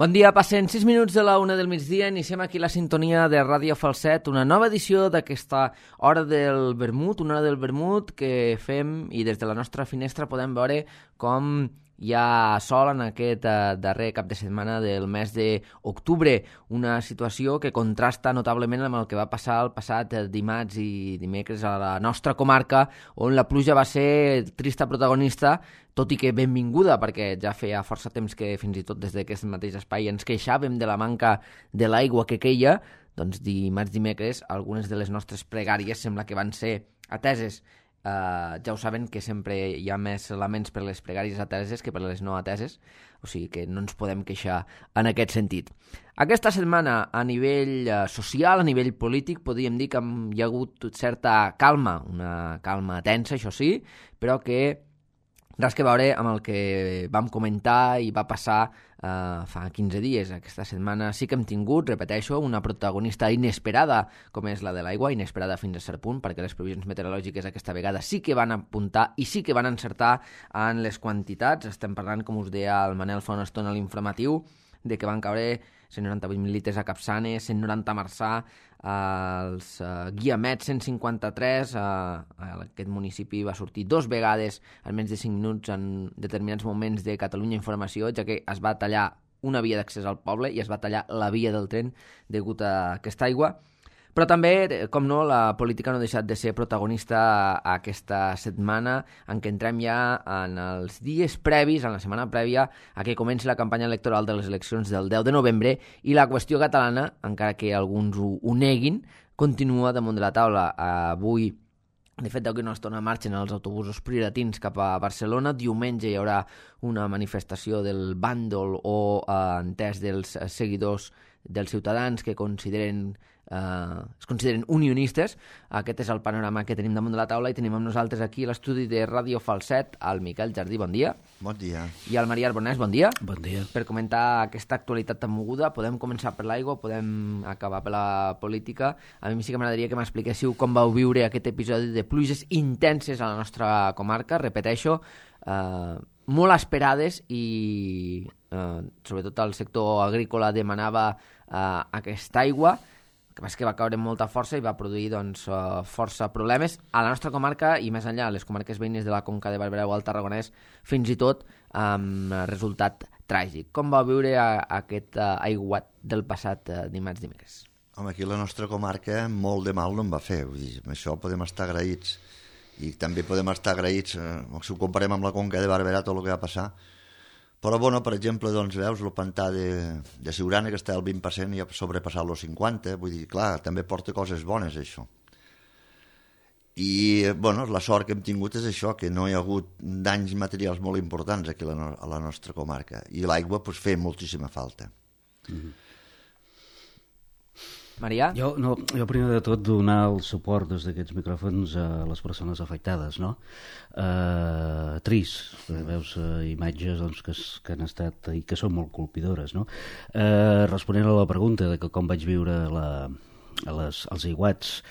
Bon dia, passen 6 minuts de la 1 del migdia, iniciem aquí la sintonia de Ràdio Falset, una nova edició d'aquesta hora del vermut, una hora del vermut que fem i des de la nostra finestra podem veure com hi ha sol en aquest darrer cap de setmana del mes d'octubre, una situació que contrasta notablement amb el que va passar el passat dimarts i dimecres a la nostra comarca, on la pluja va ser trista protagonista, tot i que benvinguda, perquè ja feia força temps que fins i tot des d'aquest mateix espai ens queixàvem de la manca de l'aigua que queia, doncs dimarts, dimecres, algunes de les nostres pregàries sembla que van ser ateses. Ja ho saben que sempre hi ha més laments per les pregàries ateses que per les no ateses, o sigui que no ens podem queixar en aquest sentit. Aquesta setmana, a nivell social, a nivell polític, podríem dir que hi ha hagut certa calma, una calma tensa, això sí, però que res que veure amb el que vam comentar i va passar fa 15 dies. Aquesta setmana sí que hem tingut, repeteixo, una protagonista inesperada, com és la de l'aigua, inesperada fins a cert punt, perquè les previsions meteorològiques aquesta vegada sí que van apuntar i sí que van encertar en les quantitats. Estem parlant, com us deia el Manel fa una estona a l'informatiu, de que van caure 198 mil·litres a Capçanes, 190 a Marçà, als Guiamets 153, aquest municipi va sortir 2 vegades en menys de 5 minuts en determinats moments de Catalunya Informació, ja que es va tallar una via d'accés al poble i es va tallar la via del tren degut a aquesta aigua. Però també, com no, la política no ha deixat de ser protagonista aquesta setmana en què entrem ja en els dies previs, en la setmana prèvia a que comenci la campanya electoral de les eleccions del 10 de novembre i la qüestió catalana, encara que alguns ho neguin, continua damunt de la taula. Avui, de fet, deu que no es torna a marxa en els autobusos prioratins cap a Barcelona. Diumenge hi haurà una manifestació del bàndol o entès dels seguidors dels ciutadans que es consideren unionistes. Aquest és el panorama que tenim damunt de la taula i tenim amb nosaltres aquí a l'estudi de Ràdio Falset el Miquel Jardí, bon dia. Bon dia. I el Maria Arbonès, bon dia. Bon dia. Per comentar aquesta actualitat tan moguda, podem començar per l'aigua, podem acabar per la política. A mi sí que m'agradaria que m'expliquéssiu com vau viure aquest episodi de pluges intenses a la nostra comarca, repeteixo, molt esperades i sobretot el sector agrícola demanava aquesta aigua, que va caure amb molta força i va produir força problemes a la nostra comarca i més enllà, a les comarques veïnes de la Conca de Barberà o al Tarragonès, fins i tot amb resultat tràgic. Com va viure aquest aiguat del passat dimarts-dimecres? Home, aquí la nostra comarca molt de mal no en va fer, vull dir, amb això podem estar agraïts i també podem estar agraïts si ho comparem amb la Conca de Barberà, tot el que va passar. Però, bueno, per exemple, doncs, veus, el pantà de Siurana, que està al 20% i ha sobrepassat els 50%, vull dir, clar, també porta coses bones, això. I, bueno, la sort que hem tingut és això, que no hi ha hagut danys materials molt importants aquí a la nostra comarca. I l'aigua, doncs, feia moltíssima falta. Maria? Jo primer de tot donar el suport des d'aquests micròfons a les persones afectades, no? Trist, veus imatges doncs, que han estat i que són molt colpidores, no? Responent a la pregunta de que com vaig viure els aiguats,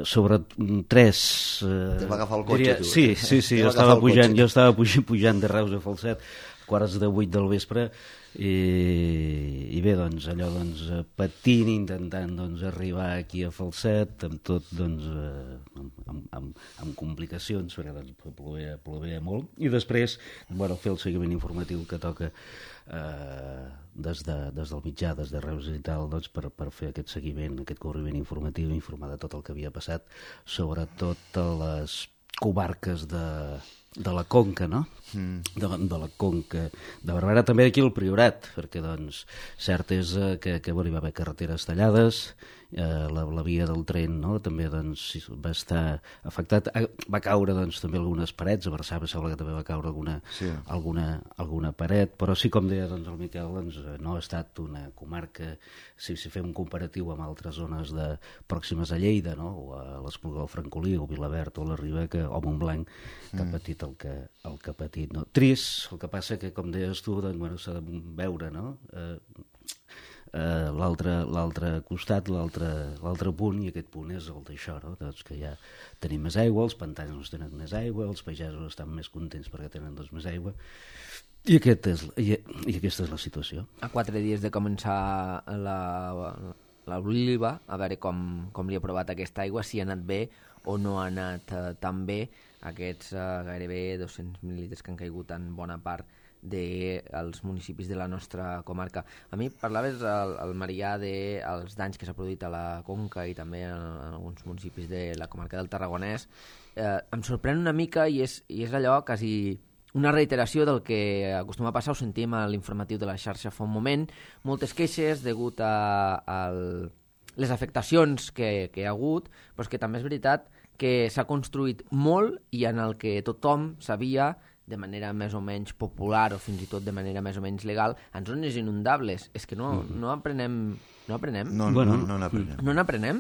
sobre 3... Te va agafar el cotxe, tu. Sí, jo estava pujant de Reus a Falset, 7:45 del vespre, i bé, doncs, allò, doncs, patint, intentant, doncs, arribar aquí a Falset, amb tot, doncs, amb complicacions, perquè, doncs, plovia molt, i després, bueno, fer el seguiment informatiu que toca des del mitjà, des de Reus i tal, doncs, per fer aquest seguiment, aquest cobriment informatiu, informar de tot el que havia passat, sobretot a les comarques de la Conca, no? De la Conca de Barberà, també aquí al Priorat, perquè, doncs, cert és que hi va haver carreteres tallades, la via del tren, no?, també, doncs, va estar afectat. Va caure, doncs, també algunes parets, a Barçà sembla que també va caure alguna paret, però sí, com deia, doncs, el Miquel, doncs, no ha estat una comarca, si fem un comparatiu amb altres zones pròximes a Lleida, no?, o a l'Espluga del Francolí, o Vilaverd, o la Riba, o Montblanc, que ha patit patit el que ha patit, no? Trist, el que passa que, com deies tu, doncs, bueno, s'ha de veure, no? L'altre costat, l'altre punt, i aquest punt és el d'això, no? Doncs que ja tenim més aigua, els pantans no tenen més aigua, els pagesos estan més contents perquè tenen doncs més aigua, i aquesta és la situació. A 4 dies de començar l'oliva, a veure com li ha provat aquesta aigua, si ha anat bé o no ha anat tan bé aquests gairebé 200 mil·lilitres que han caigut en bona part dels municipis de la nostra comarca. A mi parlaves al Marià dels danys que s'ha produït a la Conca i també en alguns municipis de la comarca del Tarragonès. Em sorprèn una mica i és allò quasi una reiteració del que acostuma a passar. Ho sentim a l'informatiu de la xarxa fa un moment, moltes queixes degut a les afectacions que hi ha hagut, però és que també és veritat que s'ha construït molt i en el que tothom sabia de manera més o menys popular o fins i tot de manera més o menys legal, en zones inundables. És que no aprenem. No aprenem? No n'aprenem. No n'aprenem?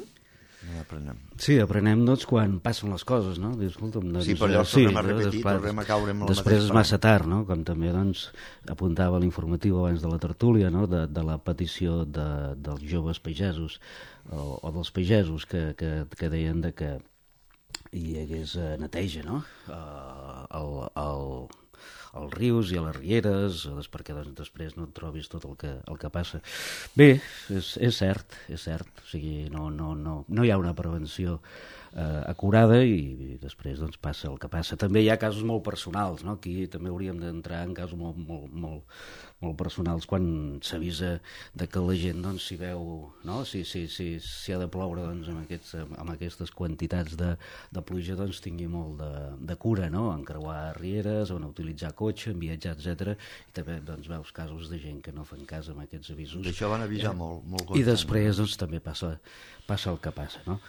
No n'aprenem. Sí, aprenem doncs quan passen les coses, no? Dius, escolta'm, doncs, sí, però llavors tornem a repetir, tornem a caure amb el mateix. Després és massa tard, no? Com també doncs, apuntava l'informatiu abans de la tertúlia, no? De la petició dels joves pagesos o dels pagesos que deien de que hi hagués neteja, no? Als rius i a les rieres, perquè doncs, després no et trobis tot el que passa. Bé, és cert. O sigui, no hi ha una prevenció acurada i després doncs, passa el que passa. També hi ha casos molt personals, no? Aquí també hauríem d'entrar en casos molt personals quan s'avisa de que la gent doncs, s'hi veu, no? Si ha de ploure doncs, amb aquestes quantitats de pluja, doncs, tingui molt de cura, no? En creuar rieres, en utilitzar cotxe, en viatjar, etc. I també doncs, veus casos de gent que no fan cas amb aquests avisos. D'això van avisar molt I després doncs, també passa el que passa, no?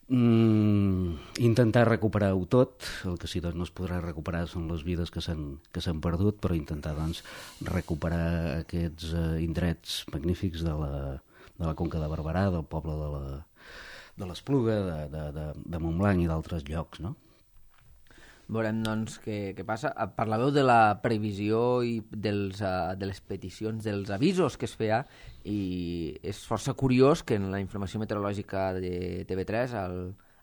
Intentar recuperar-ho tot, el que sí doncs, no es podrà recuperar són les vides que s'han perdut, però intentar doncs, recuperar aquests indrets magnífics de la Conca de Barberà, del poble de l'Espluga, de Montblanc i d'altres llocs, no? Veurem, doncs, què passa. Parlàveu de la previsió i de les peticions, dels avisos que es feia, i és força curiós que en la informació meteorològica de TV3,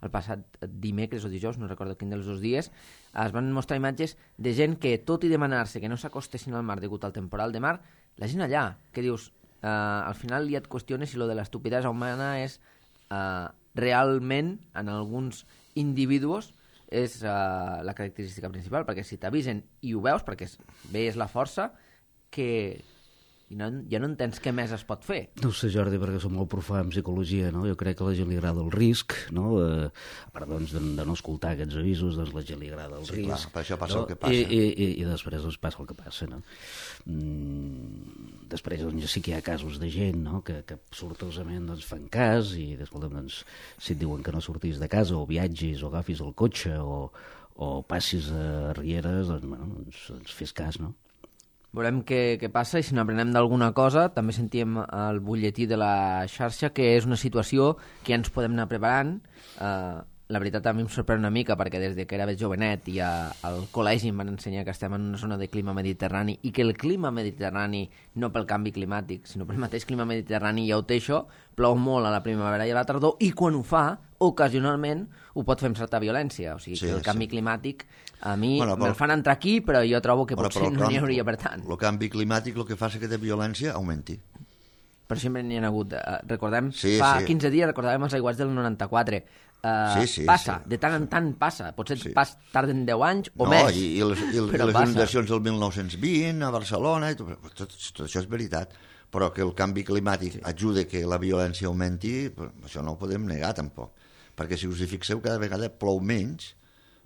el passat dimecres o dijous, no recordo quin dels dos dies, es van mostrar imatges de gent que, tot i demanar-se que no s'acostessin al mar degut al temporal de mar, la gent allà, que dius, al final ja et qüestiones si lo de l'estupidesa humana és realment, en alguns individus, és la característica principal, perquè si t'avisen i ho veus, perquè veus la força, que ja no entens què més es pot fer. No ho sé, Jordi, perquè som molt profà en psicologia, no? Jo crec que a la gent li agrada el risc, no? A part doncs, de no escoltar aquests avisos, doncs la gent li agrada el risc. Clar, per això passa el que passa. I després doncs, passa el que passa, no? Després doncs, sí que hi ha casos de gent, no? que sortosament doncs, fan cas i doncs, si et diuen que no sortis de casa o viatgis o agafis el cotxe o passis a rieres, doncs fes cas, no? Veurem què passa i si n'aprenem d'alguna cosa. També sentíem al butlletí de la xarxa que és una situació que ja ens podem anar preparant. La veritat a mi em sorprèn una mica perquè des de que era jovenet i al col·legi em van ensenyar que estem en una zona de clima mediterrani i que el clima mediterrani, no pel canvi climàtic, sinó pel mateix clima mediterrani ja ho té això, plou molt a la primavera i a la tardor i quan ho fa, ocasionalment, ho pot fer amb certa violència. O sigui que el canvi climàtic a mi me'l fan entrar aquí, però jo trobo que potser no n'hi hauria per tant. El canvi climàtic el que fa és que aquesta violència augmenti. Però sempre n'hi ha hagut. Recordem, fa 15 dies recordàvem els aiguats del 94. Passa, de tant en tant passa. Potser tarden 10 anys o més. I les inundacions del 1920 a Barcelona, tot això és veritat. Però que el canvi climàtic ajuda que la violència augmenti, això no ho podem negar tampoc. Perquè si us hi fixeu, cada vegada plou menys,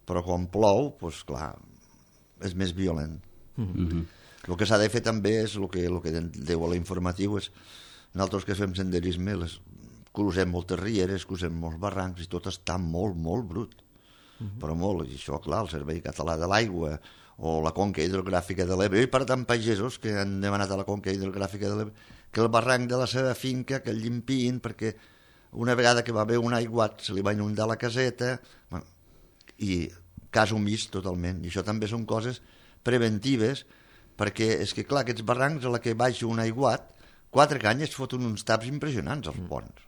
però quan plou, doncs clar, és més violent. El que s'ha de fer també és el que deu a l'informatiu és nosaltres que fem senderisme crucem moltes rieres, crucem molts barrancs i tot està molt, molt brut. Però molt, i això, clar, el Servei Català de l'Aigua o la Conca Hidrogràfica de l'Ebre, i per tant pagesos que han demanat a la Conca Hidrogràfica de l'Ebre que el barranc de la seva finca que el llimpin perquè una vegada que va haver un aiguat se li va inundar la caseta i cas omís totalment. I això també són coses preventives, perquè és que, clar, aquests barrancs a la que baixa un aiguat, 4 canyes foten uns taps impressionants als ponts.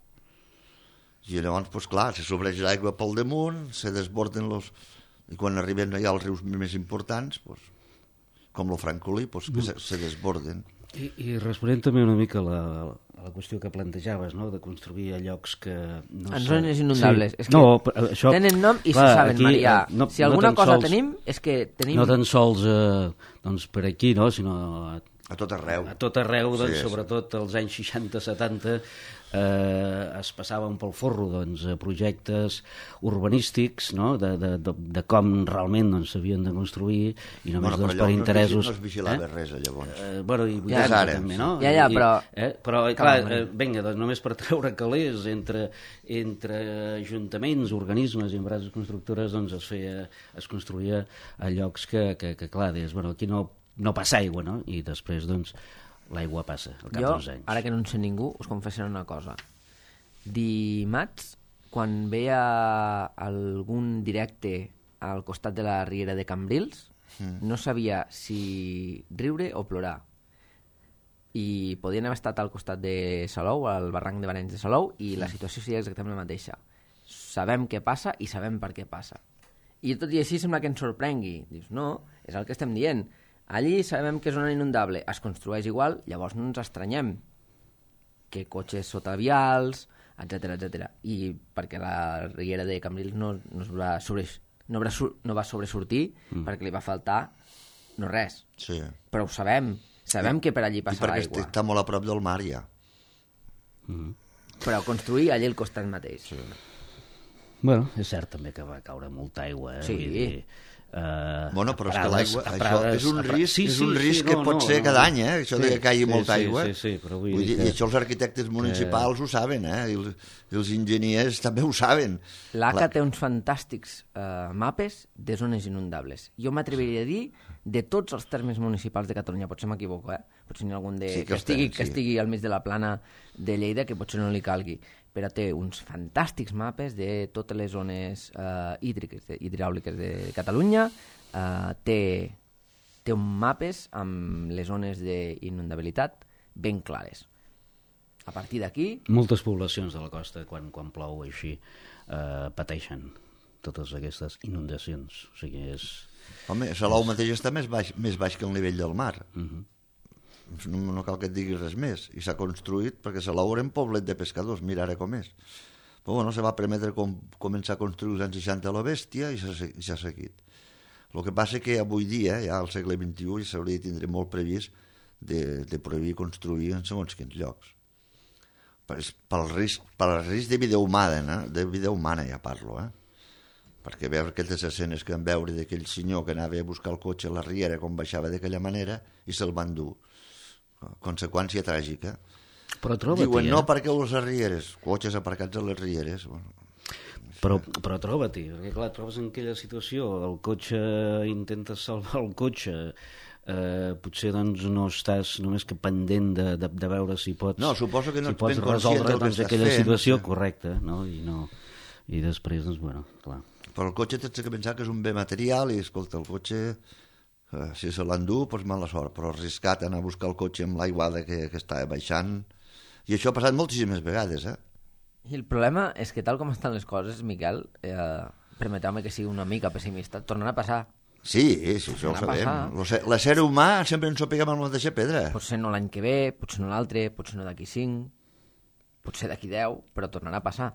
I llavors, doncs clar, se sobreix l'aigua pel damunt, se desborden los... I quan arriben ja als rius més importants, doncs, com el Francolí, doncs, que se desborden. I responent també una mica a la qüestió que plantejaves, no?, de construir a llocs que... En zones inundables. Sí. És que això, tenen nom i se saben, aquí, Marià. Si alguna cosa tenim, és que tenim... No tan sols doncs, per aquí, no?, sinó... A tot arreu. A tot arreu, doncs, sí, sobretot als anys 60-70, es passaven pel forro doncs, projectes urbanístics, no?, de com realment doncs, s'havien de construir, i només doncs, per interessos... No es vigilava res, llavors. Bueno, i 80 també, no? Ja, però... Però, clar, vinga, doncs, només per treure calés entre ajuntaments, organismes i empreses constructores, doncs es construïa a llocs que clar, deies, bueno, aquí no passa aigua, no? I després, doncs, l'aigua passa al cap d'uns anys. Ara que no en sé ningú, us confessaré una cosa. Dimarts, quan veia algun directe al costat de la riera de Cambrils, no sabia si riure o plorar. I podien haver estat al costat de Salou, al barranc de Barenys de Salou, i la situació seria exactament la mateixa. Sabem què passa i sabem per què passa. I tot i així sembla que ens sorprengui. Dius, no, és el que estem dient. Allí sabem que és zona inundable, es construeix igual, llavors no ens estranyem que cotxes sota vials, etc. I perquè la riera de Cambrils no va sobresortir perquè li va faltar no res. Sí. Però ho sabem que per allí passa l'aigua. I perquè està molt a prop del mar, ja. Però construir allí al costat mateix. Sí. Bueno, és cert també que va caure molta aigua, Sí. Vull dir, bueno, però és que l'aigua, això és un risc que pot ser cada any, això de que caigui molta aigua. Sí, però vull dir que... I això els arquitectes municipals ho saben, i els enginyers també ho saben. L'ACA té uns fantàstics mapes de zones inundables. Jo m'atreviria a dir de tots els termes municipals de Catalunya, potser m'equivoco, potser n'hi ha algun que estigui al mig de la plana de Lleida que potser no li calgui, però té uns fantàstics mapes de totes les zones hidràuliques de Catalunya, té un mapes amb les zones d'inundabilitat ben clares. A partir d'aquí... Moltes poblacions de la costa, quan plou així, pateixen totes aquestes inundacions. O sigui, és... Home, Salou mateix està més baix que el nivell del mar. No cal que et diguis res més. I s'ha construït perquè Salou era un poblet de pescadors, mira ara com és. Però bueno, se va permetre començar a construir als anys 60 a la Bèstia i s'ha seguit. El que passa que avui dia, ja al segle XXI, s'hauria de tindre molt previst de prohibir construir en segons quins llocs. Pel risc de vida humana ja parlo, perquè veure aquelles escenes que vam veure d'aquell senyor que anava a buscar el cotxe a la riera com baixava d'aquella manera i se'l van dur. Conseqüència tràgica. Però troba-t'hi, diuen, no perquè les rieres, cotxes aparcats a les rieres. Bueno. Però troba-t'hi, perquè clar, trobes en aquella situació, el cotxe, intentes salvar el cotxe, potser doncs no estàs només que pendent de veure si pots, no, suposo que no si pots resoldre doncs, aquella situació correcta, no? I després, doncs, bueno, clar. Però el cotxe tens que pensar que és un bé material i, escolta, el cotxe, si se l'endú, doncs mala sort, però arriscat anar a buscar el cotxe amb l'aiguada que està baixant, i això ha passat moltíssimes vegades, I el problema és que tal com estan les coses, Miquel, permeteu-me que sigui una mica pessimista, tornarà a passar. Sí, això ho sabem. L'ésser humà sempre ens ho peguem amb la mateixa pedra. Potser no l'any que ve, potser no l'altre, potser no d'aquí 5, potser d'aquí 10, però tornarà a passar.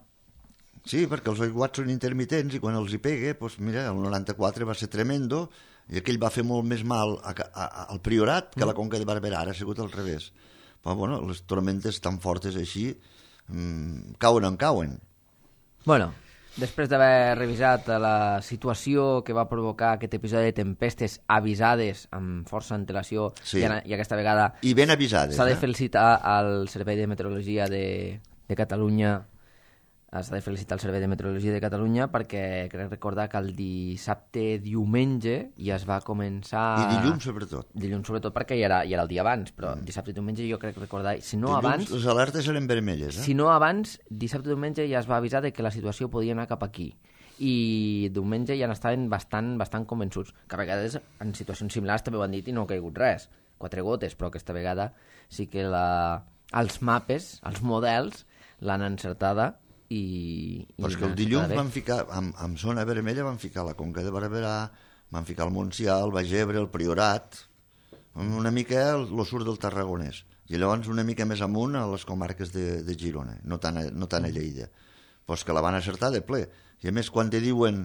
Sí, perquè els aiguats són intermitents i quan els hi pega, doncs mira, el 94 va ser tremendo i aquell va fer molt més mal al Priorat que a la Conca de Barberà, ara ha sigut al revés. Però bueno, les tormentes tan fortes així cauen on cauen. Bueno, després d'haver revisat la situació que va provocar aquest episodi de tempestes avisades amb força antelació i aquesta vegada i ben avisades, s'ha de felicitar al Servei de Meteorologia de Catalunya perquè crec recordar que el diumenge ja es va començar... I dilluns sobretot. Dilluns sobretot perquè ja era el dia abans, però dissabte i diumenge jo crec recordar... Si no dilluns abans, les alertes eren vermelles, Si no abans, dissabte i diumenge ja es va avisar de que la situació podia anar cap aquí. i diumenge ja n'estaven bastant convençuts, que a vegades en situacions similars també ho han dit i no ha caigut res, 4 gotes, però aquesta vegada sí que els mapes, els models, l'han encertada i però és que el dilluns van ficar, amb zona vermella van ficar la Conca de Barberà, van ficar el Montsià, el Baix Ebre, el Priorat, una mica el sud del Tarragonès, i llavors una mica més amunt a les comarques de Girona, no tant a Lleida. Pues que la van acertar de ple. I a més, quan te diuen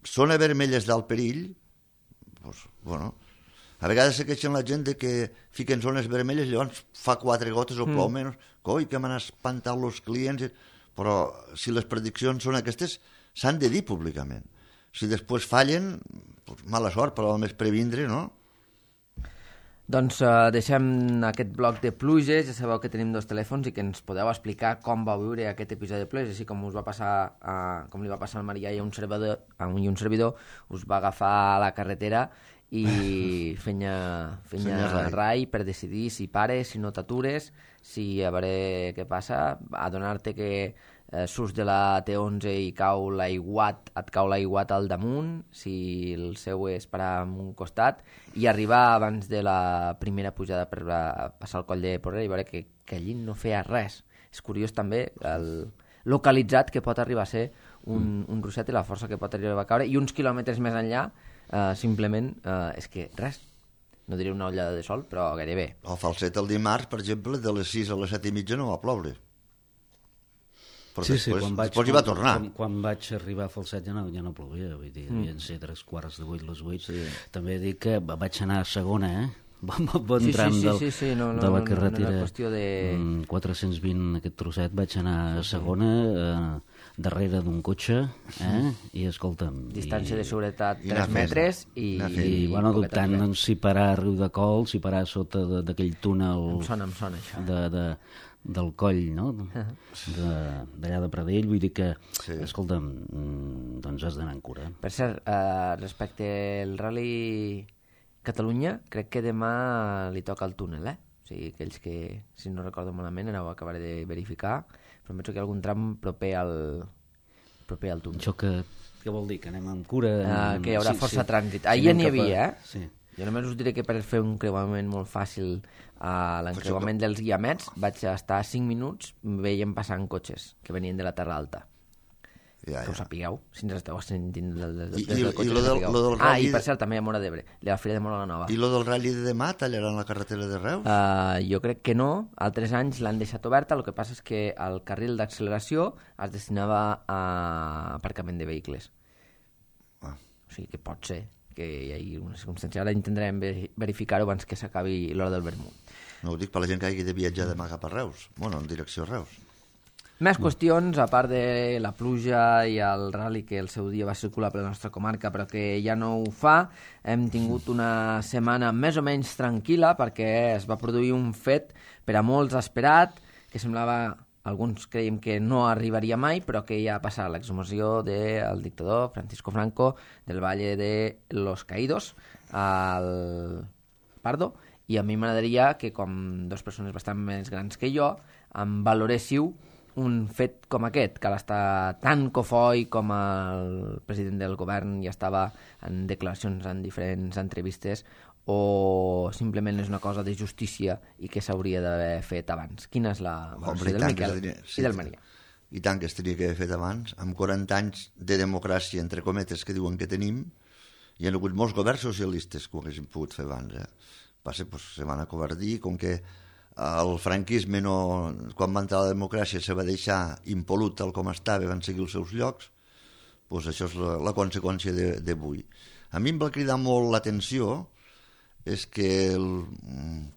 zona vermella és d'alt perill, pues, bueno, a vegades se queixen la gent de que fiquen zones vermelles, llavors fa 4 gotes o plou menys, coi, que m'han espantat els clients, però si les prediccions són aquestes, s'han de dir públicament. Si després fallen, pues, mala sort, però més previndre, no? Doncs deixem aquest bloc de pluges, ja sabeu que tenim 2 telèfons i que ens podeu explicar com va viure aquest episodi de pluges, així com us va passar, com li va passar al Marià i a un servidor, us va agafar a la carretera i feia rai per decidir si pares, si no t'atures, si a veure què passa, adonar-te que surts de la T11 i et cau l'aiguat al damunt, si el seu és parar en un costat, i arribar abans de la primera pujada per passar el coll de Porrera i veure que allí no feia res. És curiós també el localitzat que pot arribar a ser un russet i la força que pot arribar a caure, i uns quilòmetres més enllà simplement és que res, no diré una ullada de sol, però gairebé. Al Falset el dimarts, per exemple, de les 6 a les 7:30 no va ploure. Però sí, després hi va tornar. Quan vaig arribar a Falset ja no plovia, vull dir, havien ser 3:15 les 8. Sí. També dic que vaig anar a segona, bon tram de la carretera, de... 420, aquest trosset, vaig anar a segona, darrere d'un cotxe, i escolta'm... Distància de seguretat 3 metres i bueno, dubtant doncs, si parar a Riudecols, si parar sota d'aquell túnel... Em sona això. Del coll, no? D'allà de Pradell, vull dir que, escolta'm, doncs has d'anar en cura. Per cert, respecte al Rally Catalunya, crec que demà li toca el túnel, O sigui, aquells que, si no recordo malament, ara ho acabaré de verificar, però em penso que hi ha algun tram proper al túnel. Això què vol dir? Que anem amb cura? Que hi haurà força trànsit. Ahir n'hi havia, Sí. Jo només us diré que per fer un creuament molt fàcil a l'encreuament dels Guiamets vaig estar 5 minuts veient passant cotxes que venien de la Terra Alta. Que ho sapigueu, si ens esteu sentint des del cotxe. I per cert, també a Móra d'Ebre, la Fira de Móra la Nova. I lo del Rally de demà tallaran la carretera de Reus? Jo crec que no, altres anys l'han deixat oberta, el que passa és que el carril d'acceleració es destinava a aparcament de vehicles. O sigui que pot ser que hi hagi una circumstància. Ara intentarem verificar-ho abans que s'acabi l'hora del vermut. No ho dic per la gent que hagi de viatjar demà cap a Reus, bueno, en direcció a Reus. Més qüestions, a part de la pluja i el rally que el seu dia va circular per la nostra comarca però que ja no ho fa, hem tingut una setmana més o menys tranquil·la perquè es va produir un fet per a molts esperat, que semblava, alguns creiem que no arribaria mai, però que ja ha passat l'exhumació del dictador Francisco Franco del Valle de los Caídos al Pardo, i a mi m'agradaria que, com 2 persones bastant més grans que jo, em valoréssiu un fet com aquest, que està tan cofoi com el president del govern ja estava en declaracions en diferents entrevistes, o simplement és una cosa de justícia i que s'hauria d'haver fet abans? Quina és la valoració del Miquel i del Maria? I tant que es tenia que haver fet abans, amb 40 anys de democràcia, entre cometes, que diuen que tenim, hi ha hagut molts governs socialistes que ho haguessin pogut fer abans. Passa, pues, se van acovardir, com que el franquisme, quan va entrar la democràcia, se va deixar impolut tal com estava, van seguir els seus llocs, pues això és la conseqüència d'avui. A mi em va cridar molt l'atenció és que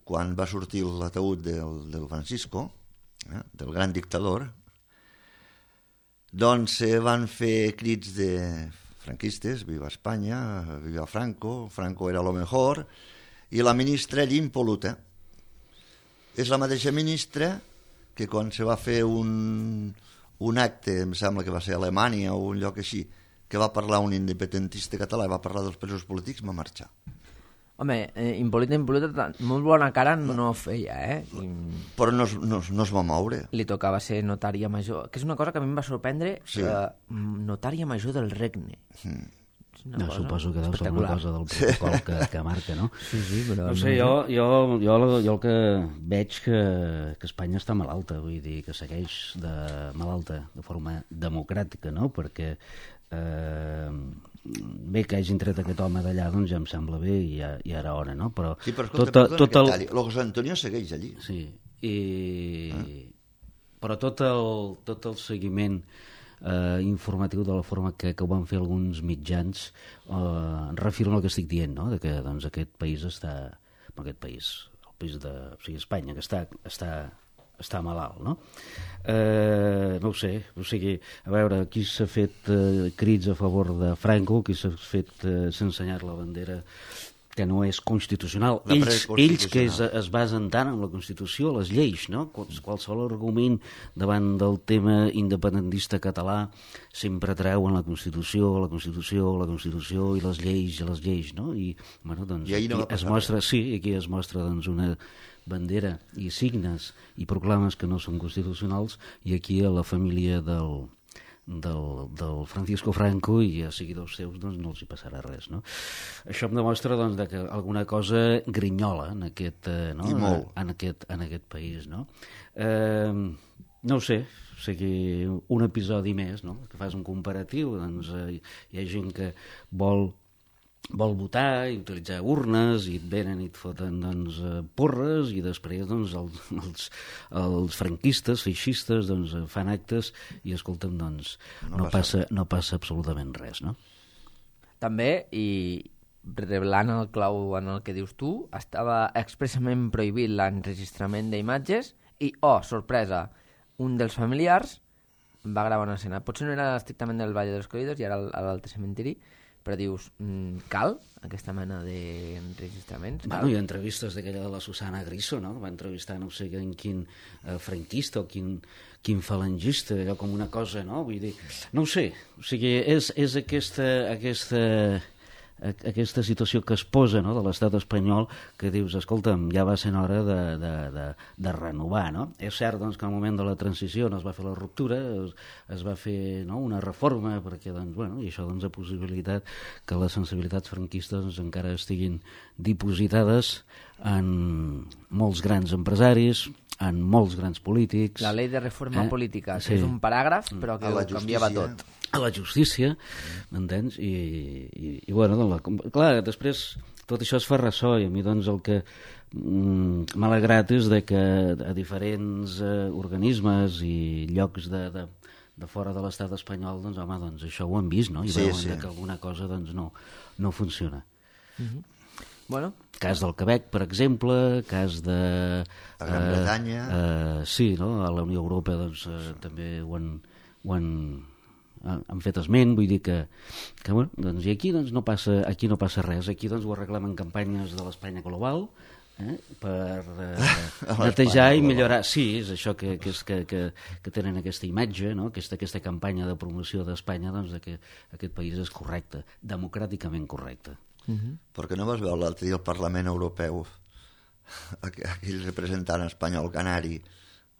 quan va sortir l'ataúd del Francisco, del gran dictador, doncs se van fer crits de franquistes, viva Espanya, viva Franco, Franco era lo mejor, i la ministra allí impoluta. És la mateixa ministra que quan se va fer un acte, em sembla que va ser a Alemanya o un lloc així, que va parlar un independentista català i va parlar dels presos polítics, va marxar. Home, Hipólita, molt bona cara no feia, Però no es va moure. Li tocava ser notària major, que és una cosa que a mi em va sorprendre, notària major del regne. Suposo que deu ser una cosa del protocol que marca, no? Sí, però... No sé, jo el que veig que Espanya està malalta, vull dir, que segueix malalta de forma democràtica, no? Perquè bé que hagin tret aquest home d'allà, doncs ja em sembla bé i ja era hora, no? Però sí, però escolta, el José Antonio segueix allí. Sí, però tot el seguiment informatiu de la forma que ho van fer alguns mitjans refirma el que estic dient, no? De que doncs, aquest país està... el país Espanya, que està malalt, no? No ho sé, o sigui, a veure, aquí s'ha fet crits a favor de Franco, aquí s'ha fet s'ha ensenyat la bandera que no és constitucional. Ells que es basen tant en la Constitució, les lleis, no? Qualsevol argument davant del tema independentista català sempre treuen la Constitució i les lleis, no? I, bueno, doncs, aquí es mostra doncs, una bandera i signes i proclames que no són constitucionals, i aquí a la família del Francisco Franco i a seguidors seus doncs no els hi passarà res, no? Això em demostra doncs que alguna cosa grinyola en aquest país, no? No ho sé, o sigui, un episodi més, no? Que fas un comparatiu, doncs hi ha gent que vol votar i utilitzar urnes i et venen i et foten doncs, porres, i després doncs, els franquistes, feixistes doncs, fan actes i escolta'm, doncs, no passa absolutament res, no? També, i revelant el clau en el que dius tu, estava expressament prohibit l'enregistrament d'imatges i, sorpresa, un dels familiars va gravar una escena. Potser no era estrictament del Valle dels Caídos i era a l'altre cementiri, però dius, cal aquesta mena d'enregistraments? Bueno, hi ha entrevistes d'aquella de la Susana Griso, no? Va entrevistar no sé quin franquista o quin falangista, allò com una cosa, no? Vull dir, no ho sé, o sigui, és aquesta situació que es posa, no?, de l'estat espanyol, que dius, escolta'm, ja va ser hora de renovar, no? És cert, doncs, que al moment de la transició no es va fer la ruptura, es va fer, no?, una reforma, perquè, doncs, bueno, i això, doncs, ha possibilitat que les sensibilitats franquistes doncs, encara estiguin dipositades en molts grans empresaris, en molts grans polítics. La llei de reforma política, que és un paràgraf, però que ho canviava tot. A la justícia, m'entens? I bueno, doncs, clar, després tot això es fa ressò, i a mi doncs el que m'ha alegrat és de que a diferents organismes i llocs de fora de l'estat espanyol, doncs home, doncs això ho han vist, no? I veuen que alguna cosa doncs no funciona. Bueno. Cas del Quebec, per exemple, cas de... La Gran Bretanya. Sí, no? A la Unió Europea doncs, també ho han fet esment, vull dir que bueno, doncs, i aquí doncs, no passa res, aquí doncs, ho arreglem en campanyes de l'Espanya global, per netejar i millorar. Sí, és això que tenen aquesta imatge, no? Aquesta campanya de promoció d'Espanya, doncs, que aquest país és correcte, democràticament correcte. Perquè no vas veure l'altre dia al Parlament Europeu aquell representant espanyol canari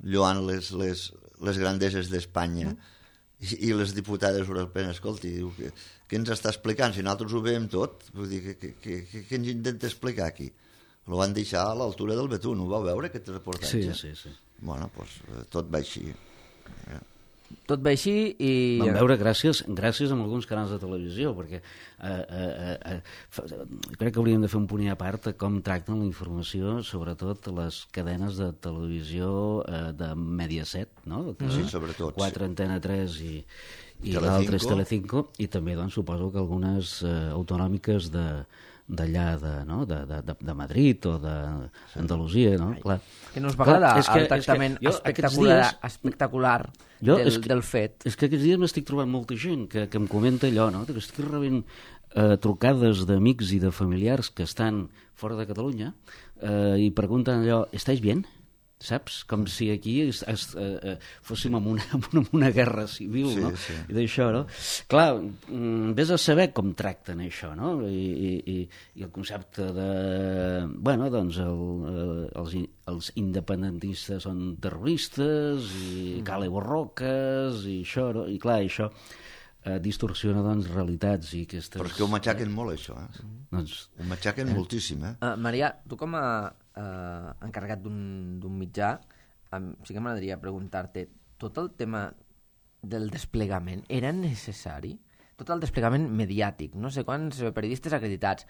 lloant les grandeses d'Espanya i les diputades europees, escolti, diu, què ens està explicant? Si nosaltres ho veiem tot, vull dir, què ens intenta explicar aquí? Lo van deixar a l'altura del betún, ho vau veure, aquest reportatge? Sí. Bueno, doncs tot va així. Tot va així i... Vam veure gràcies a alguns canals de televisió, perquè crec que hauríem de fer un punt a part com tracten la informació, sobretot les cadenes de televisió de Mediaset, no? Sí, sobretot. 4 Antena 3 i l'altre és Telecinco, i també doncs, suposo que algunes autonòmiques d'allà, de Madrid o d'Andalusia, no? Clar. Que no us va agradar el tractament espectacular del fet. És que aquests dies m'estic trobant molta gent que em comenta allò, no? Que estic rebent trucades d'amics i de familiars que estan fora de Catalunya i pregunten allò, ¿estáis bien? saps? Com si aquí fóssim en una guerra civil, no? Sí. I d'això, no? Clar, vés a saber com tracten això, no? I el concepte de... Bueno, doncs els independentistes són terroristes i cale borroques i això, no? I clar, això distorsiona, doncs, realitats i aquestes... Però és que ho matxaquen molt, això, Doncs... Ho matxaquen moltíssim, Maria, tu com a encarregat d'un mitjà, sí que m'agradaria preguntar-te, tot el tema del desplegament era necessari? Tot el desplegament mediàtic, no sé quants periodistes acreditats,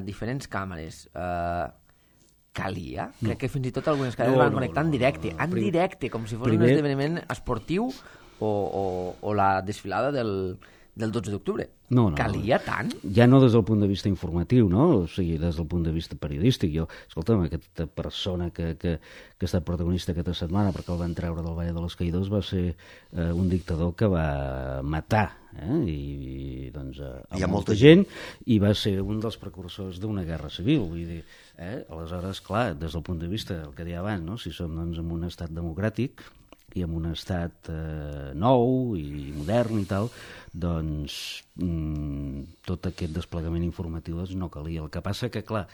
diferents càmeres, calia? No. Crec que fins i tot algunes cadenes van connectar en directe, com si fos un esdeveniment esportiu o la desfilada del 12 d'octubre. No. Calia tant? Ja no des del punt de vista informatiu, no? O sigui, des del punt de vista periodístic. Jo, escolta'm, aquesta persona que ha estat protagonista aquesta setmana perquè el van treure del Valle de los Caídos va ser un dictador que va matar i doncs, a molta gent i va ser un dels precursors d'una guerra civil. Vull dir, aleshores, clar, des del punt de vista del que deia abans, no? Si som doncs, en un estat democràtic i en un estat nou i modern i tal, doncs tot aquest desplegament informatiu doncs, no calia. El que passa que, clar,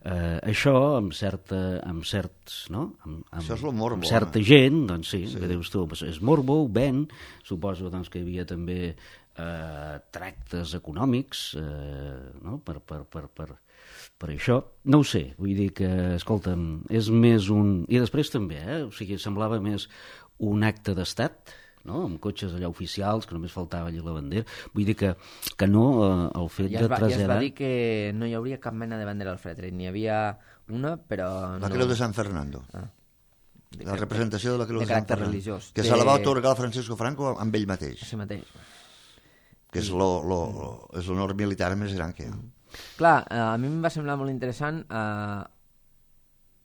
això amb certs, no? Això és el morbo. Amb certa gent, doncs sí, que dius tu, és morbo, ven, suposo doncs, que hi havia també tractes econòmics, no? Per això, no ho sé, vull dir que, escolta'm, és més un... I després també, o sigui, semblava més un acte d'estat, no? Amb cotxes allà oficials, que només faltava allà la bandera. Vull dir que no el fet de traslladar... Ja es va dir que no hi hauria cap mena de bandera al fetge. N'hi havia una, però... La Creu de Sant Fernando. La representació de la Creu de Sant Fernando. Religiós. Que se la va atorgar a Francisco Franco amb ell mateix. Sí mateix. Que és l'honor militar més gran que hi ha. Clar, a mi em va semblar molt interessant...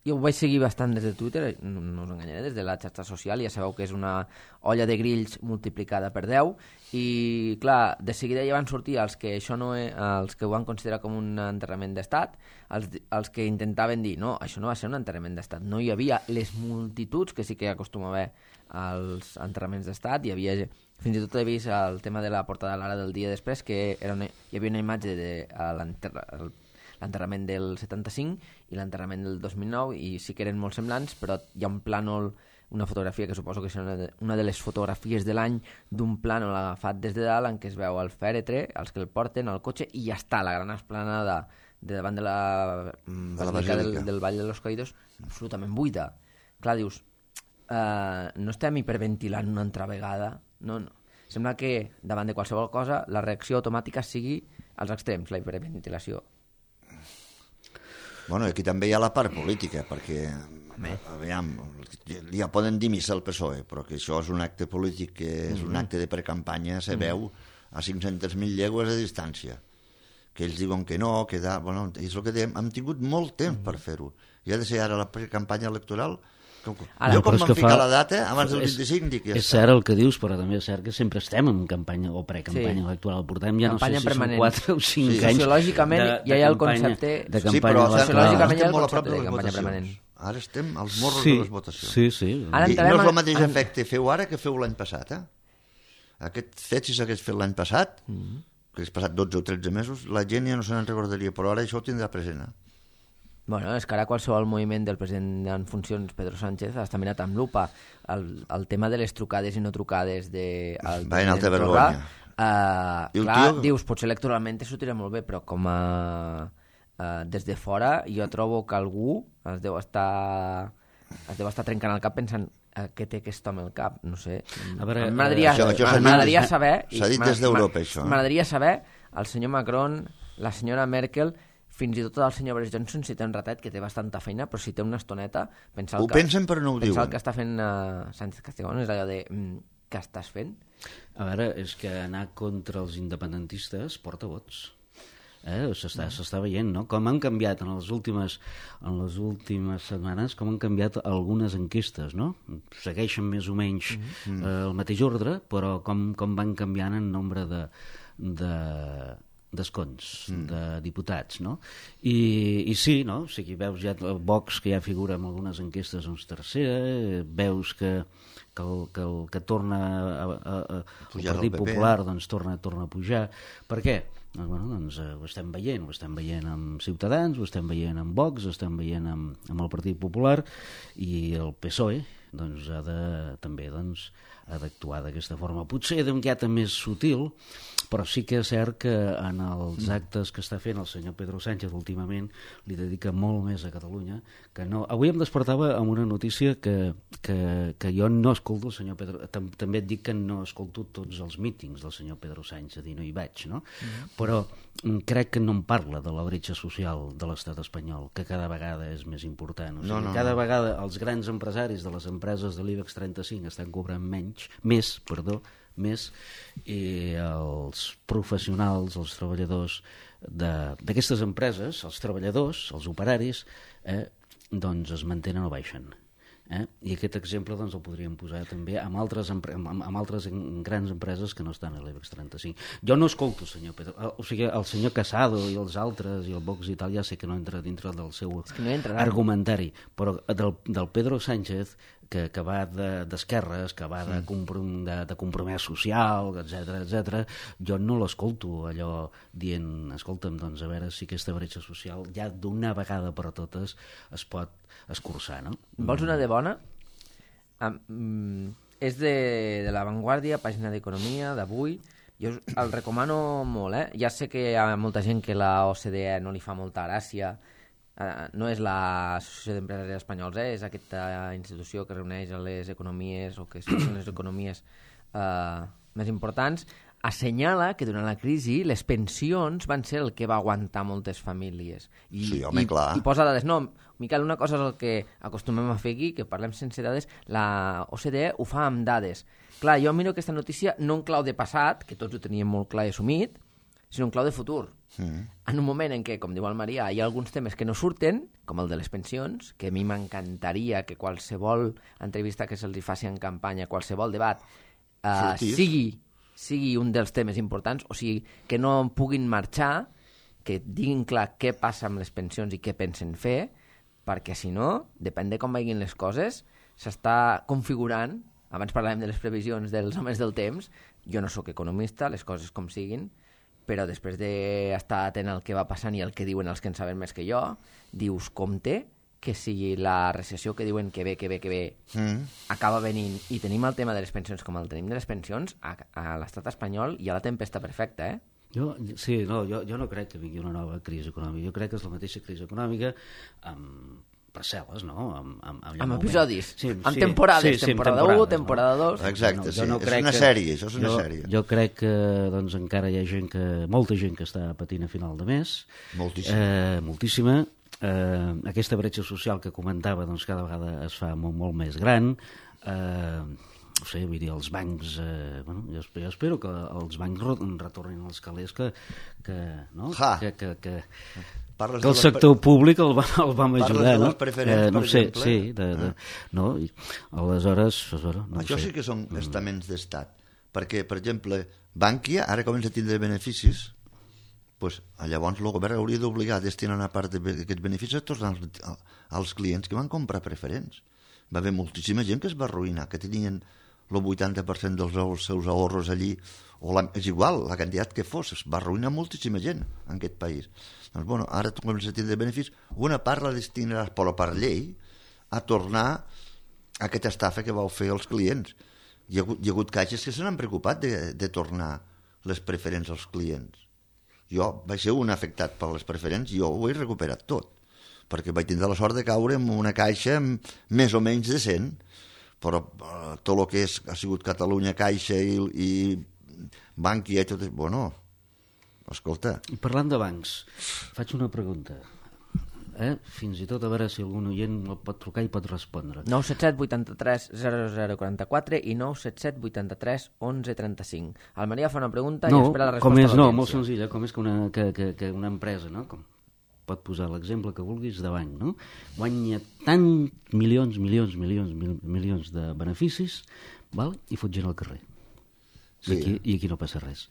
Jo ho vaig seguir bastant des de Twitter, no us enganyaré, des de la xarxa social, ja sabeu que és una olla de grills multiplicada per 10, i clar, de seguida ja van sortir els que els que ho van considerar com un enterrament d'estat, els que intentaven dir, no, això no va ser un enterrament d'estat, no hi havia les multituds que sí que acostuma a haver als enterraments d'estat, hi havia... Fins i tot he vist el tema de la portada de l'Ara del dia després, que hi havia una imatge de l'enterrament del 75 i l'enterrament del 2009, i sí que eren molt semblants, però hi ha un plànol, una fotografia que suposo que és una de les fotografies de l'any d'un plànol agafat des de dalt en què es veu el fèretre, els que el porten, el cotxe, i ja està la gran esplanada de davant de la basílica del Vall de los Caídos absolutament buida. Clar, dius, no estem hiperventilant una altra vegada, no. Sembla que davant de qualsevol cosa la reacció automàtica sigui als extrems, la hiperventilació. Bueno, aquí també hi ha la part política, perquè aviam, ja poden dir missa al PSOE, però que això és un acte polític, que és un acte de precampanya, se veu a 500.000 llegües de distància. Que ells diuen que no, que bueno, és el que dèiem, hem tingut molt temps per fer-ho. I ha de ser ara la precampanya electoral. Jo com vam ficar la data, abans del 25, dic ja és cert el que dius, però també és cert que sempre estem en campanya o precampanya electoral. Portem ja campanya no sé si són 4 o 5 anys sociològicament ja hi ha el concepte de campanya però sociològicament hi ha el molt a prop concepte de les campanya permanent. votacions. Ara estem als morros de les votacions. Sí. I no és el mateix efecte feu ara que feu l'any passat. Aquest fet, si s'hagués fet l'any passat, que hagués passat 12 o 13 mesos, la gent ja no se n'en recordaria, però ara això ho tindrà present. Bueno, és que ara qualsevol moviment del president en funcions, Pedro Sánchez, està mirat amb lupa. El tema de les trucades i no trucades del president Torra, clar, dius, potser electoralment te sortirà molt bé, però com a des de fora jo trobo que algú es deu estar trencant el cap pensant què té aquest home al cap, no sé. M'agradaria saber... S'ha dit des d'Europa, això. M'agradaria saber el senyor Macron, la senyora Merkel, fins i tot el senyor Boris Johnson, si té un ratet, que té bastanta feina, però si té una estoneta... Ho pensen però no ho diuen. Pensar el que està fent Sánchez Castejón és allò de... Què estàs fent? A veure, és que anar contra els independentistes porta vots. S'està veient, no? Com han canviat en les últimes setmanes, com han canviat algunes enquestes, no? Segueixen més o menys el mateix ordre, però com van canviant en nombre d'escons de diputats, no? I sí, no? O sigui, veus ja Vox, que ja figura en algunes enquestes, doncs tercera, veus que torna el Partit Popular doncs torna a pujar. Per què? Doncs ho estem veient amb Ciutadans, ho estem veient amb Vox, ho estem veient amb el Partit Popular, i el PSOE doncs també ha d'actuar d'aquesta forma, potser d'un guiat més sutil, però sí que és cert que en els actes que està fent el senyor Pedro Sánchez últimament li dedica molt més a Catalunya que no. Avui em despertava amb una notícia que jo no escolto el senyor Pedro, també et dic que no escolto tots els mítings del senyor Pedro Sánchez i no hi vaig, no? Però crec que no em parla de la bretxa social de l'estat espanyol, que cada vegada és més important. O sigui, cada vegada els grans empresaris de les empreses de l'IBEX 35 estan cobrant més, i els professionals, els treballadors d'aquestes empreses, els treballadors, els operaris, doncs es mantenen o baixen. I aquest exemple doncs, el podríem posar també amb altres grans empreses que no estan a l'IBEX 35. Jo no escolto el senyor Casado i els altres i el Vox i tal, ja sé que no entra dintre del seu argumentari, però del Pedro Sánchez, que va d'esquerres, que va de compromès social, etc., jo no l'escolto allò dient, escolta'm, doncs a veure si aquesta bretxa social ja d'una vegada per a totes es pot escurçar, no? Vols una de bona? És de La Vanguardia, pàgina d'Economia, d'avui. Jo el recomano molt, Ja sé que hi ha molta gent que la OCDE no li fa molta gràcia. No és l'Associació d'Empresaris Espanyols, és aquesta institució que reuneix les economies o que són les economies més importants. Assenyala que durant la crisi les pensions van ser el que va aguantar moltes famílies. Sí, home, clar. I posa dades. No, Miquel, una cosa és el que acostumem a fer aquí, que parlem sense dades. La OCDE ho fa amb dades. Clar, jo miro aquesta notícia no en clau de passat, que tots ho teníem molt clar i assumit, sinó en clau de futur. En un moment en què, com diu el Marià, hi ha alguns temes que no surten, com el de les pensions, que a mi m'encantaria que qualsevol entrevista que se'ls faci en campanya, qualsevol debat, sigui un dels temes importants, o sigui, que no puguin marxar, que diguin clar què passa amb les pensions i què pensen fer, perquè si no, depèn de com vagin les coses, s'està configurant, abans parlàvem de les previsions dels homes del temps, jo no sóc economista, les coses com siguin, però després d'estar atent al que va passant i el que diuen els que en saben més que jo, dius, compte que si la recessió que diuen que ve, acaba venint i tenim el tema de les pensions com el tenim de les pensions, a l'estat espanyol hi ha la tempesta perfecta, Jo no crec que vingui una nova crisi econòmica. Jo crec que és la mateixa crisi econòmica amb parcel·les, no? Amb episodis, amb temporades, temporada 1, temporada 2... Exacte, sí, és una sèrie, això és una sèrie. Jo crec que doncs, encara hi ha molta gent que està patint a final de mes. Moltíssima. Aquesta bretxa social que comentava doncs, cada vegada es fa molt més gran. No sé, vull dir, els bancs... jo espero que els bancs retornin als calés que el sector públic el vam ajudar, no? No sé, sí. Aleshores... Això sí que són estaments d'estat. Perquè, per exemple, Bankia ara comença a tindre beneficis, llavors el govern hauria d'obligar a destinar una part d'aquests beneficis a tots els clients que van comprar preferents. Va haver moltíssima gent que es va arruïnar, que tenien el 80% dels seus ahorros allí, és igual, la quantitat que fos, es va arruïnar moltíssima gent en aquest país. Doncs, ara tu comences a tindre beneficis, una part la destinaràs, però per llei, a tornar a aquesta estafa que vau fer als clients. Hi ha hagut caixes que se n'han preocupat de tornar les preferents als clients. Jo vaig ser un afectat per les preferents i jo ho he recuperat tot, perquè vaig tindre la sort de caure en una caixa més o menys decent, però tot el que ha sigut Catalunya Caixa i Bankia i tot... escolta... I parlant de bancs, faig una pregunta. Fins i tot a veure si algun oient el pot trucar i pot respondre. 977 83 0044 i 977 83 11 35. El Maria fa una pregunta i espera la resposta de l'audiència. Molt senzilla, com és que una empresa, no? Pot posar l'exemple que vulguis de banc, no? Guanya tant milions de beneficis, val? I fot gent al carrer. Sí. I aquí no passa res.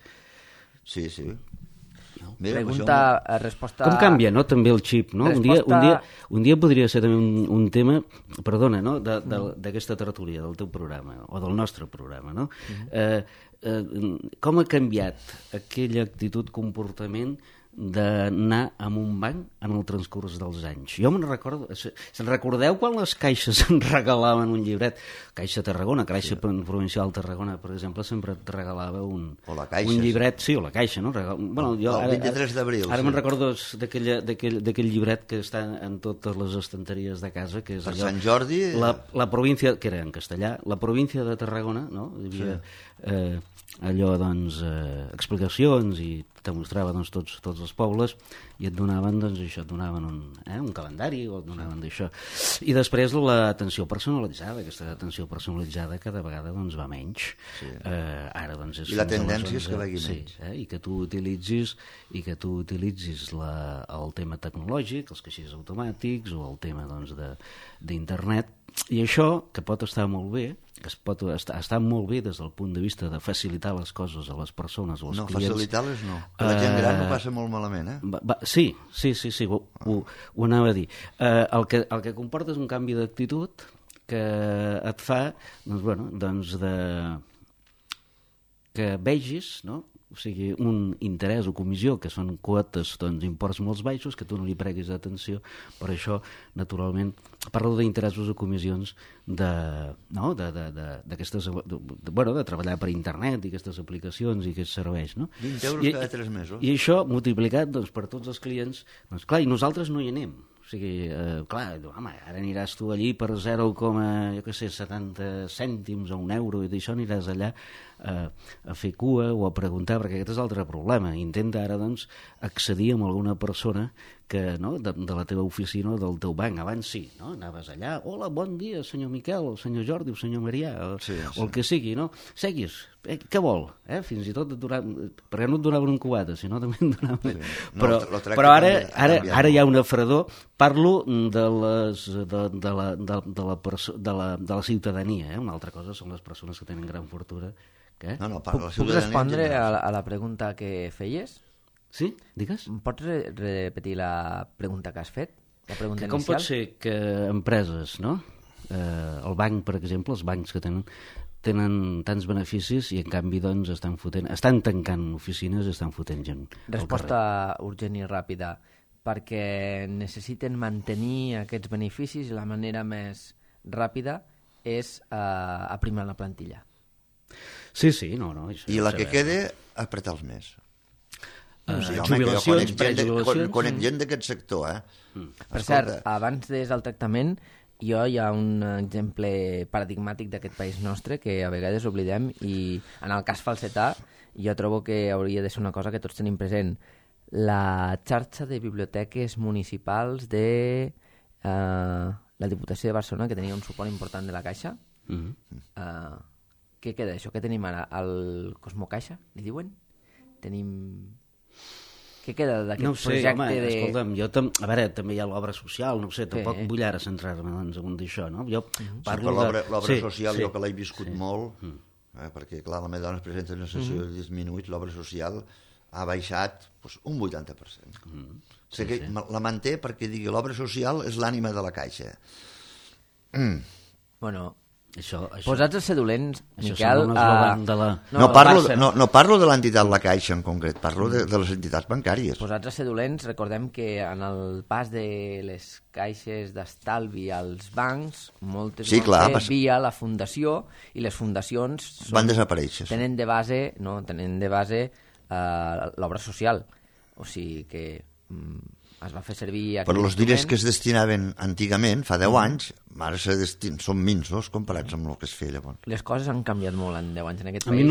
Sí. No? Resposta... Com canvia, no?, també el xip, no? Resposta... Un dia podria ser també un tema, perdona, no?, d'aquesta tertúlia, del teu programa, o del nostre programa, no? Com ha canviat aquella actitud, comportament d'anar a un banc en el transcurs dels anys? Jo me'n recordo... Se'n recordeu quan les caixes ens regalaven un llibret? Caixa Tarragona, Caixa Provincial Tarragona, per exemple, sempre et regalava un llibret, sí, o la Caixa, no? Bueno, jo, el 23 d'abril. Ara me'n recordo d'aquell llibret que està en totes les estanteries de casa, que és per allò... Sant Jordi... La província, que era en castellà, la província de Tarragona, no? Hi havia allò, doncs, explicacions, i te mostrava, doncs, tots els pobles, i et donaven, doncs, això, et donaven un calendari, o et donaven d'això. I després l'atenció personalitzada, aquesta atenció personalitzada cada vegada, doncs, va menys. Sí. Ara, doncs, I la tendència és que vagi menys. Sí, i que tu utilitzis el tema tecnològic, els caixers automàtics, o el tema, doncs, d'internet, i això, que pot estar molt bé, que es pot estar molt bé des del punt de vista de facilitar les coses a les persones, als clients. No, facilitar-les no. La gent gran ho passa molt malament, Sí, ho anava a dir. El que comporta és un canvi d'actitud que et fa, doncs, que vegis, no?, o sigui, un interès o comissió, que són quotes, doncs, imports molt baixos, que tu no li preguis atenció. Per això, naturalment, parlo d'interessos o comissions de treballar per internet i aquestes aplicacions i aquests serveis, no? 20 euros cada 3 mesos. I això, multiplicat, doncs, per tots els clients, doncs, clar, i nosaltres no hi anem. O sigui, clar, home, ara aniràs tu allí per 0,70 cèntims o €1, i d'això aniràs allà a fer cua o a preguntar, perquè aquest és l'altre problema. Intenta ara, doncs, accedir amb alguna persona que, no, de la teva oficina o del teu banc. Abans sí, no? Anaves allà, hola, bon dia, senyor Miquel, o senyor Jordi, o senyor Marià, o el que sigui, no? Seguis, què vol? Fins i tot perquè no et donaven un cubata, sinó també et donaven... Sí. Però ara hi ha una fredor. Parlo de la ciutadania, una altra cosa són les persones que tenen gran fortuna. Puc respondre a la pregunta que feies? Sí? Digues. Pots repetir la pregunta que has fet? La pregunta com inicial? Pot ser que empreses, no? El banc, per exemple, els bancs que tenen tants beneficis i en canvi, doncs, estan tancant oficines i estan fotent gent. Resposta urgent i ràpida. Perquè necessiten mantenir aquests beneficis i la manera més ràpida és aprimar la plantilla. Sí, no. I la que quede, apretar-los més. Jubilacions, prejubilacions... Conec gent d'aquest sector, Per cert, abans de el tractament, hi ha un exemple paradigmàtic d'aquest país nostre que a vegades oblidem, i en el cas falsetà jo trobo que hauria de ser una cosa que tots tenim present. La xarxa de biblioteques municipals de la Diputació de Barcelona, que tenia un suport important de la Caixa. Què queda d'això? Què tenim ara? El Cosmocaixa, li diuen? Què queda d'aquest projecte? No ho sé, home, escolta'm, a veure, també hi ha l'obra social, no ho sé, tampoc vull ara centrar-me en d'això, no? Jo parlo l'obra social, jo que l'he viscut molt, perquè, clar, la meva dona es presenta en una sessió de 10 minuts, l'obra social ha baixat un 80%. O sigui que la manté perquè digui l'obra social és l'ànima de la Caixa. Bueno... Això. Posats a ser dolents, Miquel... No parlo de l'entitat La Caixa en concret, parlo de les entitats bancàries. Posats a ser dolents, recordem que en el pas de les caixes d'estalvi als bancs, moltes van ser via la fundació, i les fundacions van desaparèixer. Tenen de base l'obra social. O sigui que es va fer servir... Però els diners que es destinaven antigament, fa 10 anys, ara són minsos comparats amb el que es feia llavors. Les coses han canviat molt en 10 anys en aquest país,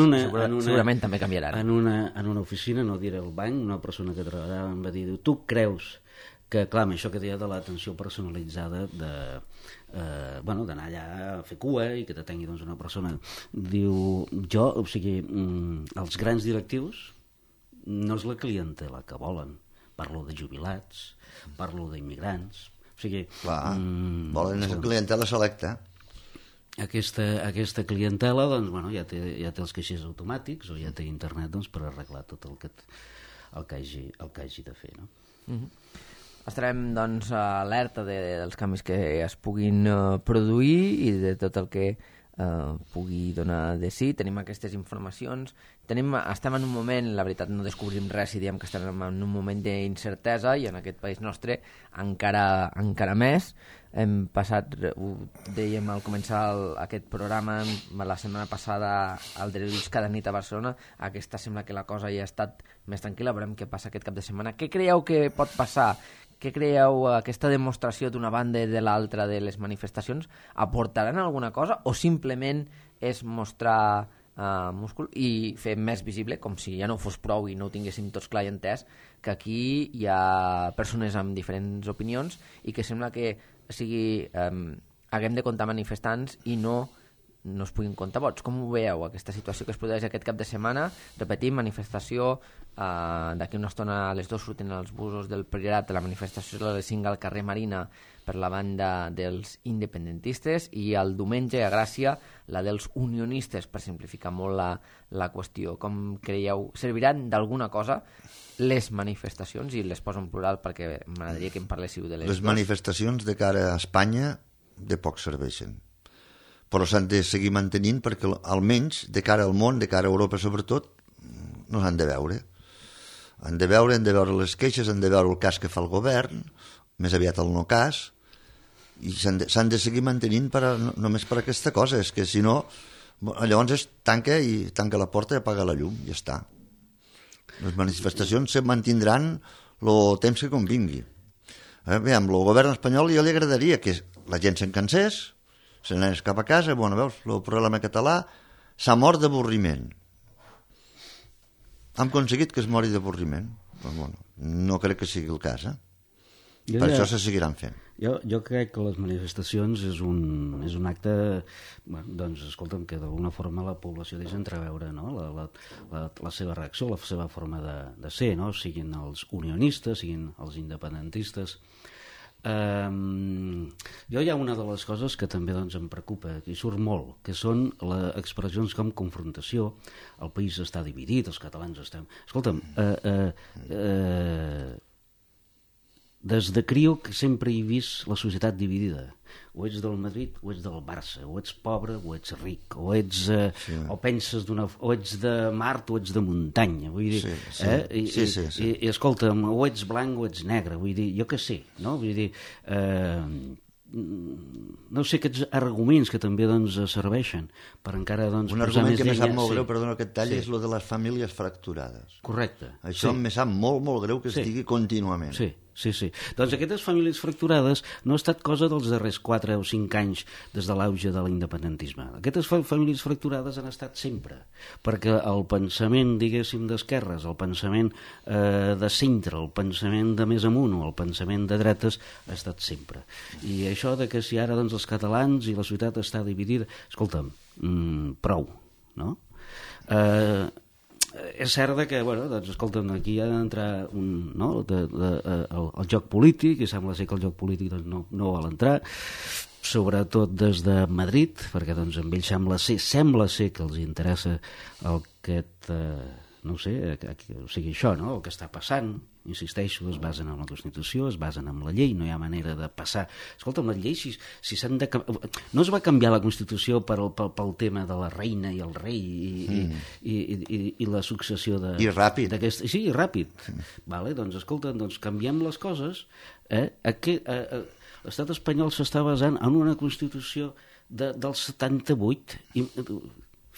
segurament també canviaran. En una oficina, no diré el banc, una persona que treballava em va dir, tu creus que, clar, això que deia de l'atenció personalitzada, d'anar allà a fer cua i que t'atengui una persona, diu, o sigui, els grans directius no és la clientela que volen. Parlo de jubilats, parlo d'immigrants... O sigui... Clar, volen una clientela selecta. Aquesta clientela, doncs, ja té els caixers automàtics o ja té internet per arreglar tot el que hagi de fer, no? Estarem, doncs, alerta dels canvis que es puguin produir i de tot el que pugui donar de sí. Tenim aquestes informacions. Estem en un moment, la veritat no descobrim res si diem que estem en un moment d'incertesa, i en aquest país nostre encara més. Hem passat, ho dèiem al començar aquest programa, la setmana passada al Drets cada nit a Barcelona. Aquesta sembla que la cosa ja ha estat més tranquil·la. Veurem què passa aquest cap de setmana. Què creieu que pot passar? Què creieu, aquesta demostració d'una banda i de l'altra de les manifestacions aportaran alguna cosa, o simplement és mostrar múscul i fer més visible, com si ja no fos prou i no ho tinguéssim tots clar i entès, que aquí hi ha persones amb diferents opinions i que sembla que haguem de comptar manifestants i no es puguin comptar vots? Com ho veieu, aquesta situació que es produeix aquest cap de setmana? Repetim, manifestació, d'aquí una estona a les 2 surten els busos del Priorat, la manifestació a les 5 al carrer Marina per la banda dels independentistes, i el diumenge a Gràcia la dels unionistes, per simplificar molt la qüestió. Com creieu, serviran d'alguna cosa les manifestacions? I les poso en plural perquè m'agradaria que em parléssiu de les manifestacions de cara a Espanya de poc serveixen, però s'han de seguir mantenint perquè almenys de cara al món, de cara a Europa sobretot, no s'han de veure. Han de veure les queixes, han de veure el cas que fa el govern, més aviat el no cas, i s'han de seguir mantenint només per aquesta cosa. És que si no, llavors tanca la porta i apaga la llum, i ja està. Les manifestacions se mantindran el temps que convingui. Veiem, el govern espanyol ja li agradaria que la gent se'n cansés, se n'anés cap a casa. Bueno, veus, el problema català s'ha mort d'avorriment. Hem aconseguit que es mori d'avorriment. Bueno, no crec que sigui el cas, Per això se seguiran fent. Jo crec que les manifestacions és un acte, doncs, escolta'm, que d'alguna forma la població deixa entreveure, no? la seva reacció, la seva forma de ser, no? Siguin els unionistes, siguin els independentistes. Jo hi ha una de les coses que també, doncs, em preocupa, i surt molt, que són les expressions com confrontació. El país està dividit, els catalans estem... Escolta'm, des de criu que sempre he vist la societat dividida. O ets del Madrid o ets del Barça, o ets pobre o ets ric, o ets o penses o ets de Mart o ets de muntanya, vull dir, i escolta'm, o ets blanc o ets negre, vull dir, jo què sé, no? Vull dir, no sé, aquests arguments que també, doncs, serveixen per encara, doncs, un argument que me sap molt greu, perdona que et talli, és el de les famílies fracturades. Correcte. Això me sap molt, molt greu que es digui contínuament. Sí. Doncs aquestes famílies fracturades no ha estat cosa dels darrers 4 o 5 anys des de l'auge de l'independentisme. Aquestes famílies fracturades han estat sempre, perquè el pensament, diguéssim, d'esquerres, el pensament de centre, el pensament de més amunt o el pensament de dretes ha estat sempre. I això de que si ara, doncs, els catalans i la societat està dividida, escolta'm, prou, no? És cert que, bueno, doncs, escolta'm, aquí ha d'entrar el joc polític, i sembla ser que el joc polític, doncs, no vol entrar, sobretot des de Madrid, perquè, doncs, amb ells sembla ser que els interessa no sé, o sigui, això, no?, el que està passant. Insisteixo, es basen en la Constitució, es basen en la llei, no hi ha manera de passar. Escolta'm, les lleis, si s'han de... No es va canviar la Constitució pel tema de la reina i el rei i la successió de... I ràpid. Sí, ràpid. Vale, doncs, escolta'm, doncs, canviem les coses. L'estat espanyol s'està basant en una Constitució del 78 i...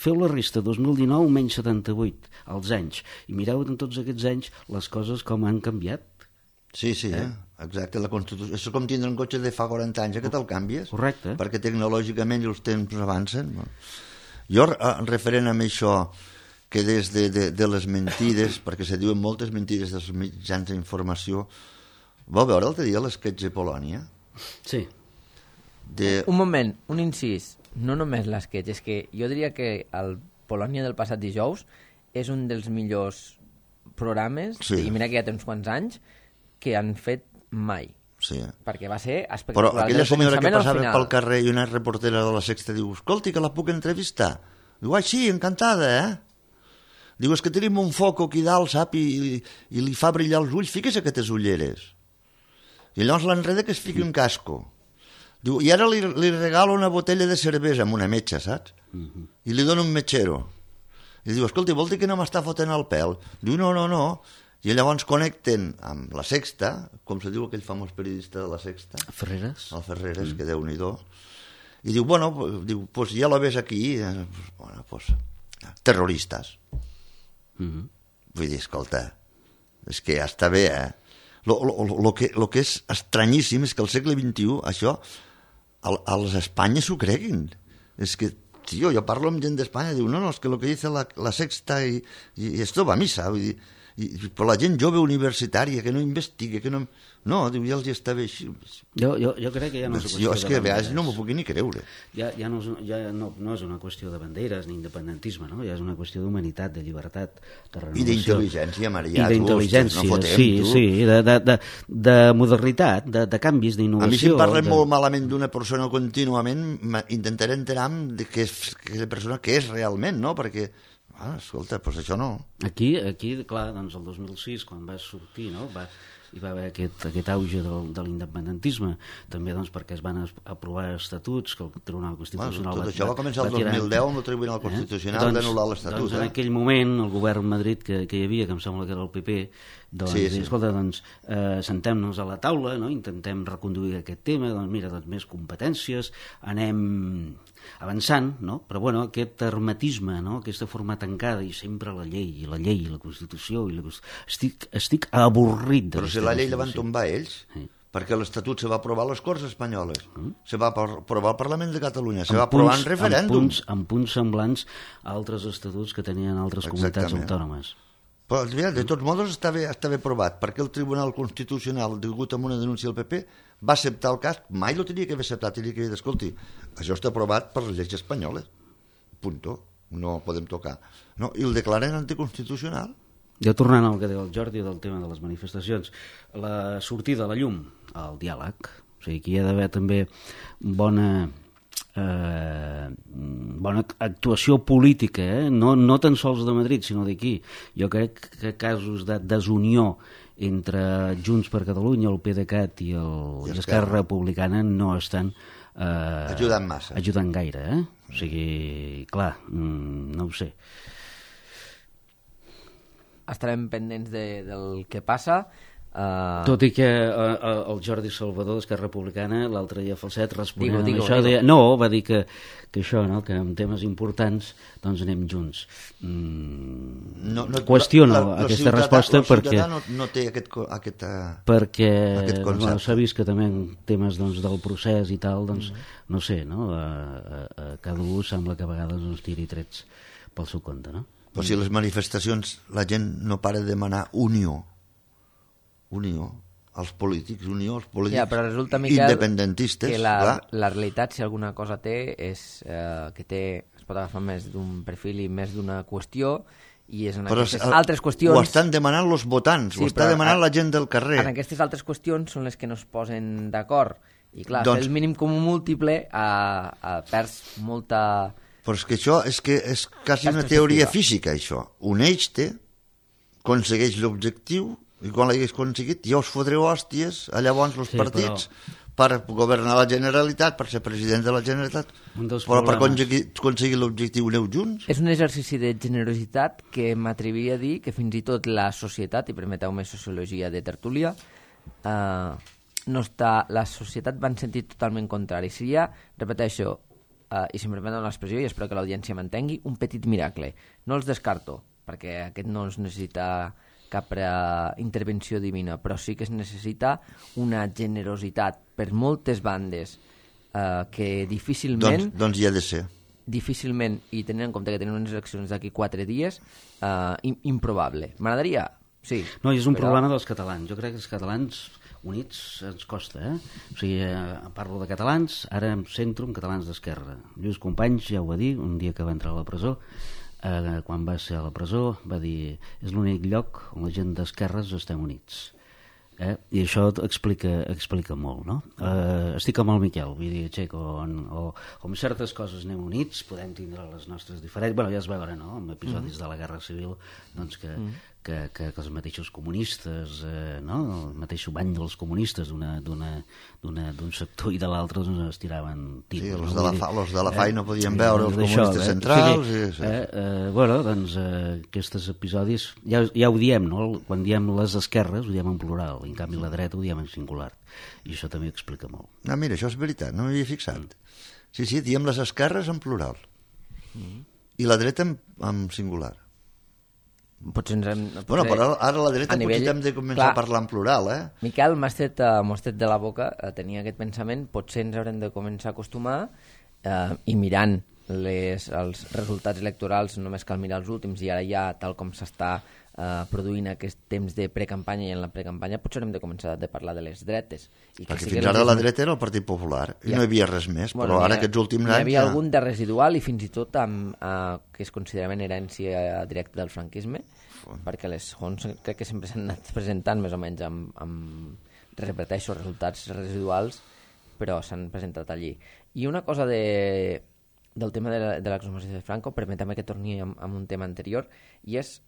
Feu la resta, 2019 menys 78, als anys, i mireu en tots aquests anys les coses com han canviat. Sí, exacte, la Constitució. És com tindre un cotxe de fa 40 anys, que te'l canvies. Correcte. Perquè tecnològicament els temps avancen. Jo, referent a això, que des de les mentides, perquè se diuen moltes mentides dels mitjans d'informació, vau veure l'altre dia l'esquetx de Polònia? Sí. Un moment, un incís. No només l'esquetx, és que jo diria que el Polònia del passat dijous és un dels millors programes, i mira que ja té uns quants anys, que han fet mai. Sí. Perquè va ser espectacular. Però aquella senyora que passava pel carrer i una reportera de la Sexta diu, escolti, que la puc entrevistar? Diu, sí, encantada, Diu, és que tenim un foc aquí dalt, sap, i li fa brillar els ulls, fiques aquestes ulleres. I llavors l'enreda que es fiqui un casco. Diu, i ara li regalo una botella de cervesa amb una metxa, saps? I li dona un metxero. I diu, escolta, vol dir que no m'està fotent el pèl? Diu, no. I llavors connecten amb la Sexta, com se diu aquell famós periodista de la Sexta. Ferreres. El Ferreres, que Déu-n'hi-do. I diu, bueno, pues ya lo ves aquí, bueno, pues, terroristes. Vull dir, escolta, és que ja està bé, Lo que és estranyíssim és que al segle XXI això els Espanya s'ho creguin. És que, tio, jo parlo amb gent d'Espanya, diu, no, és que lo que dice la Sexta i esto va a misa, vull dir, però la gent jove universitària que no investiga, que no... No, diu, ja els està bé així. Jo crec que ja no és una qüestió de banderes. Jo és que a vegades no m'ho puc ni creure. Ja no és una qüestió de banderes ni independentisme, no? Ja és una qüestió d'humanitat, de llibertat, de renovació. I d'intel·ligència, Maria. I d'intel·ligència, no fotem, sí, de modernitat, de canvis, d'innovació. A mi si em parlen molt malament d'una persona contínuament, intentaré enterar-me de què és la persona que és realment, no? Perquè, escolta, doncs això no. Aquí, clar, doncs el 2006, quan va sortir, no?, hi va haver aquest auge de l'independentisme, també doncs perquè es van aprovar estatuts que el Tribunal Constitucional... Tot això va començar el 2010 amb el Tribunal Constitucional d'anul·lar l'Estatut. Doncs en aquell moment el govern Madrid que hi havia, que em sembla que era el PP, doncs, sí. Escolta, doncs, sentem-nos a la taula, no? Intentem reconduir aquest tema, doncs mira, doncs més competències, anem avançant, no? Però bueno, aquest hermetisme, no? Aquesta forma tancada i sempre la llei, la Constitució i estic avorrit de però si la llei la van tombar ells, perquè l'Estatut se va aprovar a les Corts Espanyoles, se va aprovar al Parlament de Catalunya, se va aprovar en referèndum. Amb punts semblants a altres estatuts que tenien altres comunitats autònomes. Però de tots modos està bé aprovat, perquè el Tribunal Constitucional, degut a una denúncia del PP, va acceptar el cas, mai lo tenia que haver acceptat, tenia que dir, escolti, això està aprovat per les lleis espanyoles, punto, no podem tocar. No, i el declaren anticonstitucional. Ja tornant al que deia el Jordi del tema de les manifestacions, la sortida a la llum, el diàleg, o sigui, que hi ha d'haver també bona actuació política, no tan sols de Madrid sinó d'aquí. Jo crec que casos de desunió entre Junts per Catalunya, el PDeCAT i Esquerra Republicana no estan ajudant gaire, o sigui, clar, no ho sé. Estarem pendents del que passa. Tot i que el Jordi Salvador d'Esquerra Republicana l'altre dia Falset responent a això va dir que això, no? Que en temes importants doncs anem junts. Qüestiono aquesta resposta perquè no té aquest perquè s'ha vist que també en temes doncs, del procés i tal, doncs no sé, no? Cada un sembla que a vegades ens tiri trets pel seu compte, no? Però si les manifestacions la gent no para de demanar unió als polítics però resulta, Miquel, independentistes, que la realitat, si alguna cosa té, és que es pot agafar més d'un perfil i més d'una qüestió, i és en aquestes altres qüestions... Ho estan demanant els votants, ho està demanant la gent del carrer. En aquestes altres qüestions són les que no es posen d'acord, i clar, el mínim comú múltiple perds molta... Però és que això és quasi una teoria física, això. Uneix-te, aconsegueix l'objectiu, i quan l'hagués aconseguit ja us fotreu hòsties a llavors els partits per governar la Generalitat, per ser president de la Generalitat, però per aconseguir l'objectiu aneu junts. És un exercici de generositat que m'atrevia a dir que fins i tot la societat, i permeteu-me sociologia de tertúlia, la societat va en sentit totalment contrari. Seria, repeteixo, i si em permeten l'expressió, i espero que l'audiència m'entengui, un petit miracle. No els descarto, perquè aquest no es necessita cap intervenció divina, però sí que es necessita una generositat per moltes bandes que difícilment... Doncs hi ha de ser. Difícilment, i tenint en compte que tenen unes eleccions d'aquí 4 dies, improbable. M'agradaria? Sí. No, és un problema dels catalans. Jo crec que els catalans units ens costa, O sigui, parlo de catalans, ara em centro en catalans d'esquerra. Lluís Companys ja ho va dir, un dia que va entrar a la presó, quan va ser a la presó va dir és l'únic lloc on la gent d'esquerres estem units, I això explica molt, no? Estic amb el Miquel, vull dir, Txec, o amb certes coses anem units, podem tindre les nostres diferències, bueno, ja es veure, no?, amb episodis de la Guerra Civil, doncs que els mateixos comunistes, no?, el mateix bany dels comunistes d'un sector i de l'altre doncs es tiraven tiros. Sí, els de la FAI no podien veure els comunistes centrals. Bueno, doncs aquests episodis, ja ho diem, no?, quan diem les esquerres ho diem en plural, en canvi la dreta ho diem en singular, i això també explica molt. Ah, mira, això és veritat, no m'hi havia fixat. Sí, diem les esquerres en plural i la dreta en singular. Potser ens hem... Bueno, però ara la dreta potser hem de començar a parlar en plural, Miquel, m'ho has tret de la boca, tenia aquest pensament, potser ens haurem de començar a acostumar i mirant els resultats electorals, només cal mirar els últims, i ara ja, tal com s'està produint aquest temps de precampanya, i en la precampanya potser haurem de començar a parlar de les dretes. Perquè fins ara la dreta era el Partit Popular i no hi havia res més, però ara aquests últims anys... Hi havia algun de residual i fins i tot que es consideraven herència directa del franquisme, perquè les fonts crec que sempre s'han anat presentant més o menys amb repeteixo, resultats residuals, però s'han presentat allí. I una cosa del tema de l'exhumació de Franco, permetem que torni amb un tema anterior, i és,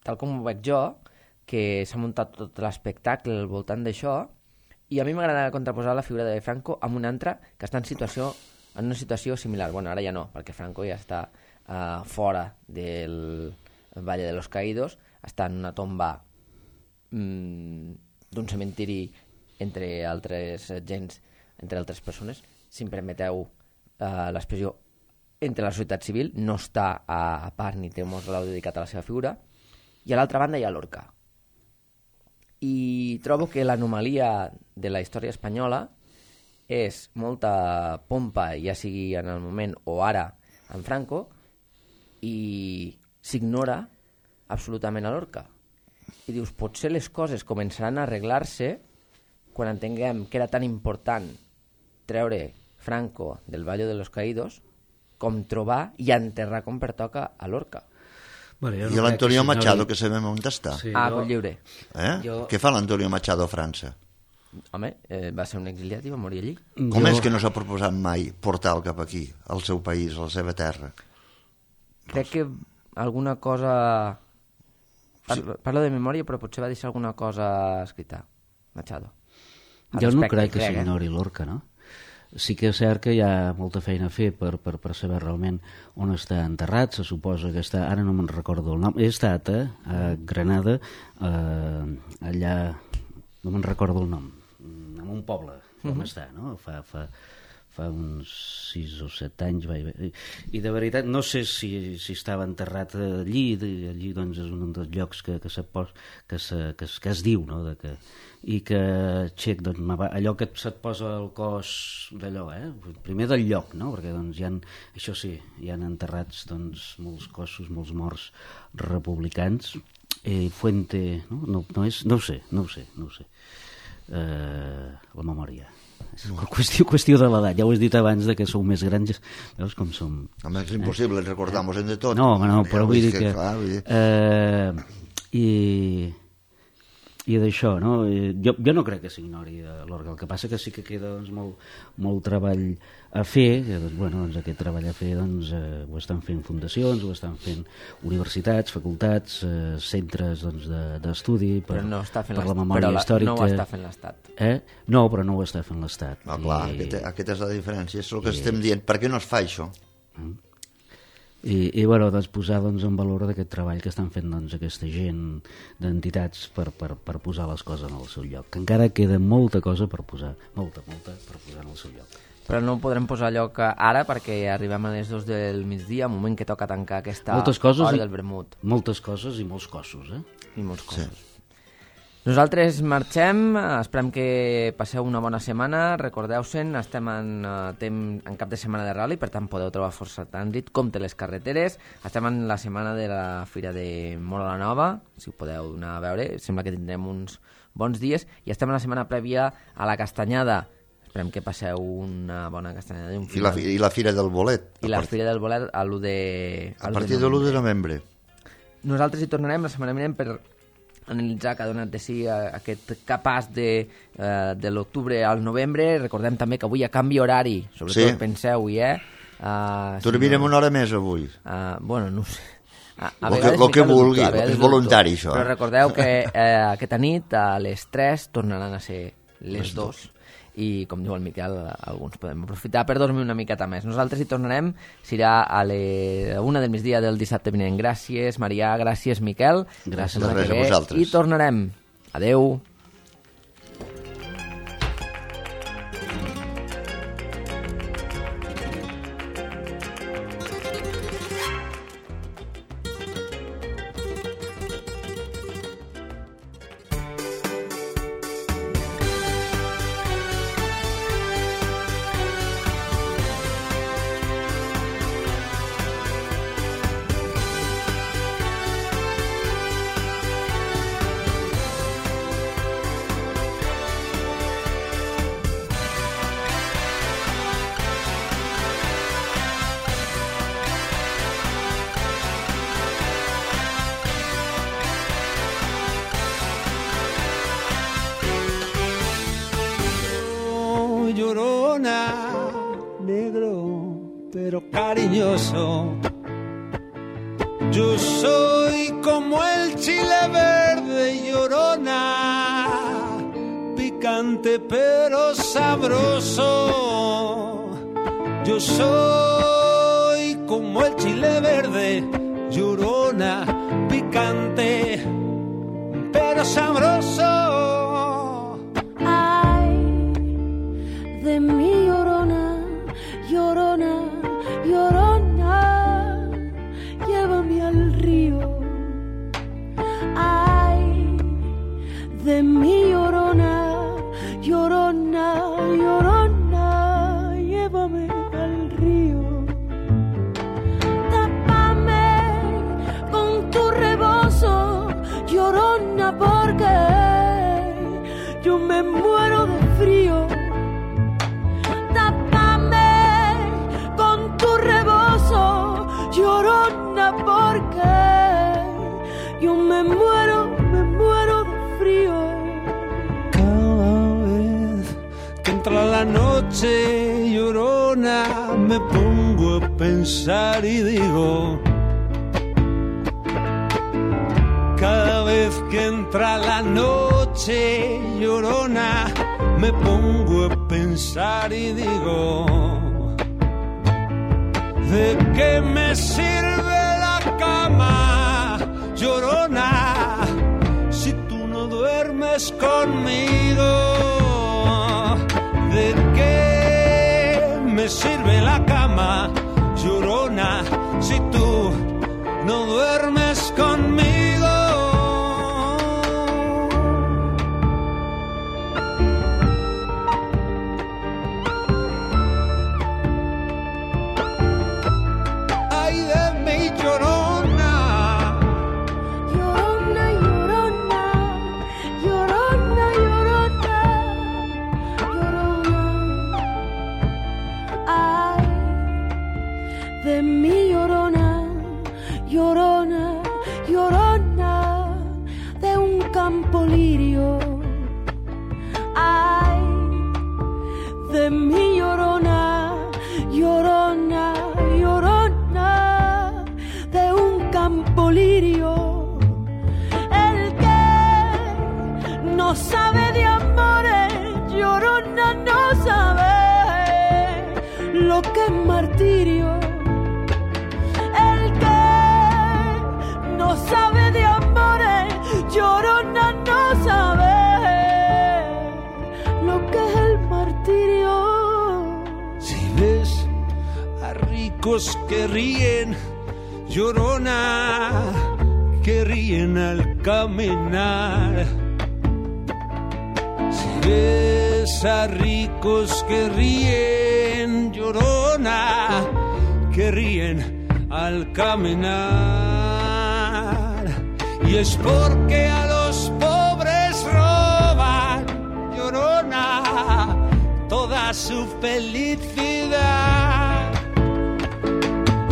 tal com ho veig jo, que s'ha muntat tot l'espectacle al voltant d'això, i a mi m'agrada contraposar la figura de Franco amb una altra que està en una situació similar. Bueno, ara ja no, perquè Franco ja està fora del Valle de los Caídos, està en una tomba d'un cementiri entre altres gens, entre altres persones, si em permeteu l'expressió, entre la societat civil, no està a part ni té un mausoleu dedicat a la seva figura, i a l'altra banda hi ha Lorca. I trobo que l'anomalia de la història espanyola és molta pompa, ja sigui en el moment o ara en Franco, i s'ignora absolutament a Lorca. I dius, potser les coses començaran a arreglar-se quan entenguem que era tan important treure Franco del Valle de los Caídos com trobar i enterrar com pertoca a Lorca. Bueno, I l'Antonio Machado, que sabem on està. Sí, Coll Lliure. Què fa l'Antonio Machado a França? Home, va ser un exiliat i va morir allí. Com és que no s'ha proposat mai portar-lo cap aquí, al seu país, a la seva terra? Crec que alguna cosa... Parlo de memòria, però potser va deixar alguna cosa escrita, Machado. Jo no crec que s'ignori Lorca, no? Sí que és cert que hi ha molta feina a fer per saber realment on està enterrat. Se suposa que està, ara no me'n recordo el nom, he estat a Granada, allà, no me'n recordo el nom, en un poble on està, no? Fa uns 6 o 7 anys i de veritat no sé si estava enterrat allí doncs és un dels llocs que es diu, no? I que Txec, doncs, allò que se't posa al cos d'allò, primer del lloc, no? Perquè doncs això sí, hi han enterrats doncs molts cossos, molts morts republicans, Fuente, no ho sé, la memòria. És qüestió de l'edat, ja ho has dit abans de que sou més grans, veus com som. Home, és impossible, recordamos-en de tot. No, però vull dir que... I d'això, no? Jo no crec que s'ignori l'Orga, el que passa que sí que queda doncs, molt treball a fer, doncs aquest treball a fer doncs, ho estan fent fundacions, ho estan fent universitats, facultats, centres doncs, d'estudi per la memòria històrica. No ho està fent l'Estat. No, però no ho està fent l'Estat. No, clar, aquesta és la diferència, és el que estem dient. Per què no es fa això? I bueno, doncs, posar doncs, en valor d'aquest treball que estan fent doncs, aquesta gent d'entitats per posar les coses en el seu lloc, que encara queda molta cosa per posar, molta per posar en el seu lloc. Però no ho podrem posar a lloc ara perquè arribem a les 2 del migdia, moment que toca tancar aquesta hora del vermut. Moltes coses i molts cossos, I molts cossos. Sí. Nosaltres marxem, esperem que passeu una bona setmana, recordeu-se'n, estem en cap de setmana de rally, per tant podeu trobar força trànsit, compte les carreteres, estem en la setmana de la Fira de Móra la Nova, si ho podeu anar a veure, sembla que tindrem uns bons dies, i estem en la setmana prèvia a la Castanyada, esperem que passeu una bona castanyada. I la Fira del Bolet. I la Fira del Bolet a l'1 de... A partir de l'1 de novembre. Nosaltres hi tornarem, la setmana vinent, per analitzar que ha donat de si aquest capaç de l'octubre al novembre. Recordem també que avui a canvi horari, sobretot penseu-hi, dormirem una hora més avui. Bueno, no ho sé. El que vulgui, és voluntari això. Però recordeu que aquesta nit a les 3 tornaran a ser les 2. I, com diu el Miquel, alguns podem aprofitar per dormir una miqueta més. Nosaltres hi tornarem, serà a la 1 del migdia del dissabte vinent. Gràcies, Marià, gràcies, Miquel. Gràcies a vosaltres. I tornarem. Adeu. Llorona, negro pero cariñoso. Yo soy como el chile verde, llorona, picante pero sabroso. Yo soy como el chile verde, llorona, picante pero sabroso. De mi llorona, llorona, llorona, llévame al río. Ay, de mi llorona, llorona, llorona, llévame al río. Tápame con tu rebozo, llorona, porque yo me muero de frío. Llorona, porque yo me muero de frío. Cada vez que entra la noche, llorona, me pongo a pensar y digo, cada vez que entra la noche, llorona, me pongo a pensar y digo, ¿de qué me sirve la cama, llorona, si tú no duermes conmigo? ¿De qué me sirve la cama, llorona, si tú no duermes conmigo? De mi llorona, llorona, llorona, de un campo lirio. Ay, de mi llorona, llorona, llorona, de un campo lirio. El que no sabe de amores, llorona, no sabe lo que es martirio. No sabe de amores, llorona, no sabe lo que es el martirio. Si ves a ricos que ríen, llorona, que ríen al caminar. Si ves a ricos que ríen, llorona, que ríen al caminar. Y es porque a los pobres roban, llorona, toda su felicidad.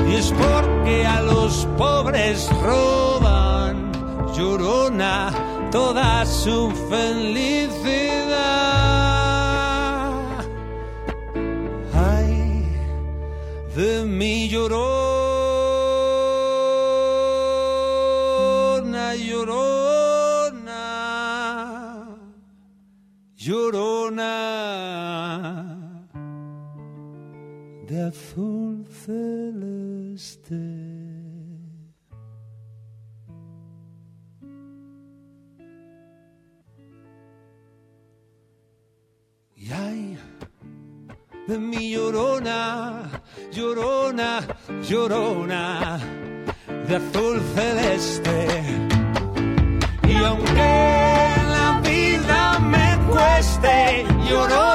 Y es porque a los pobres roban, llorona, toda su felicidad. Ay, de mi llorona, llorona, llorona de azul celeste. Y ay, de mi llorona, llorona, llorona de azul celeste. Y aunque la vida me cueste, llorona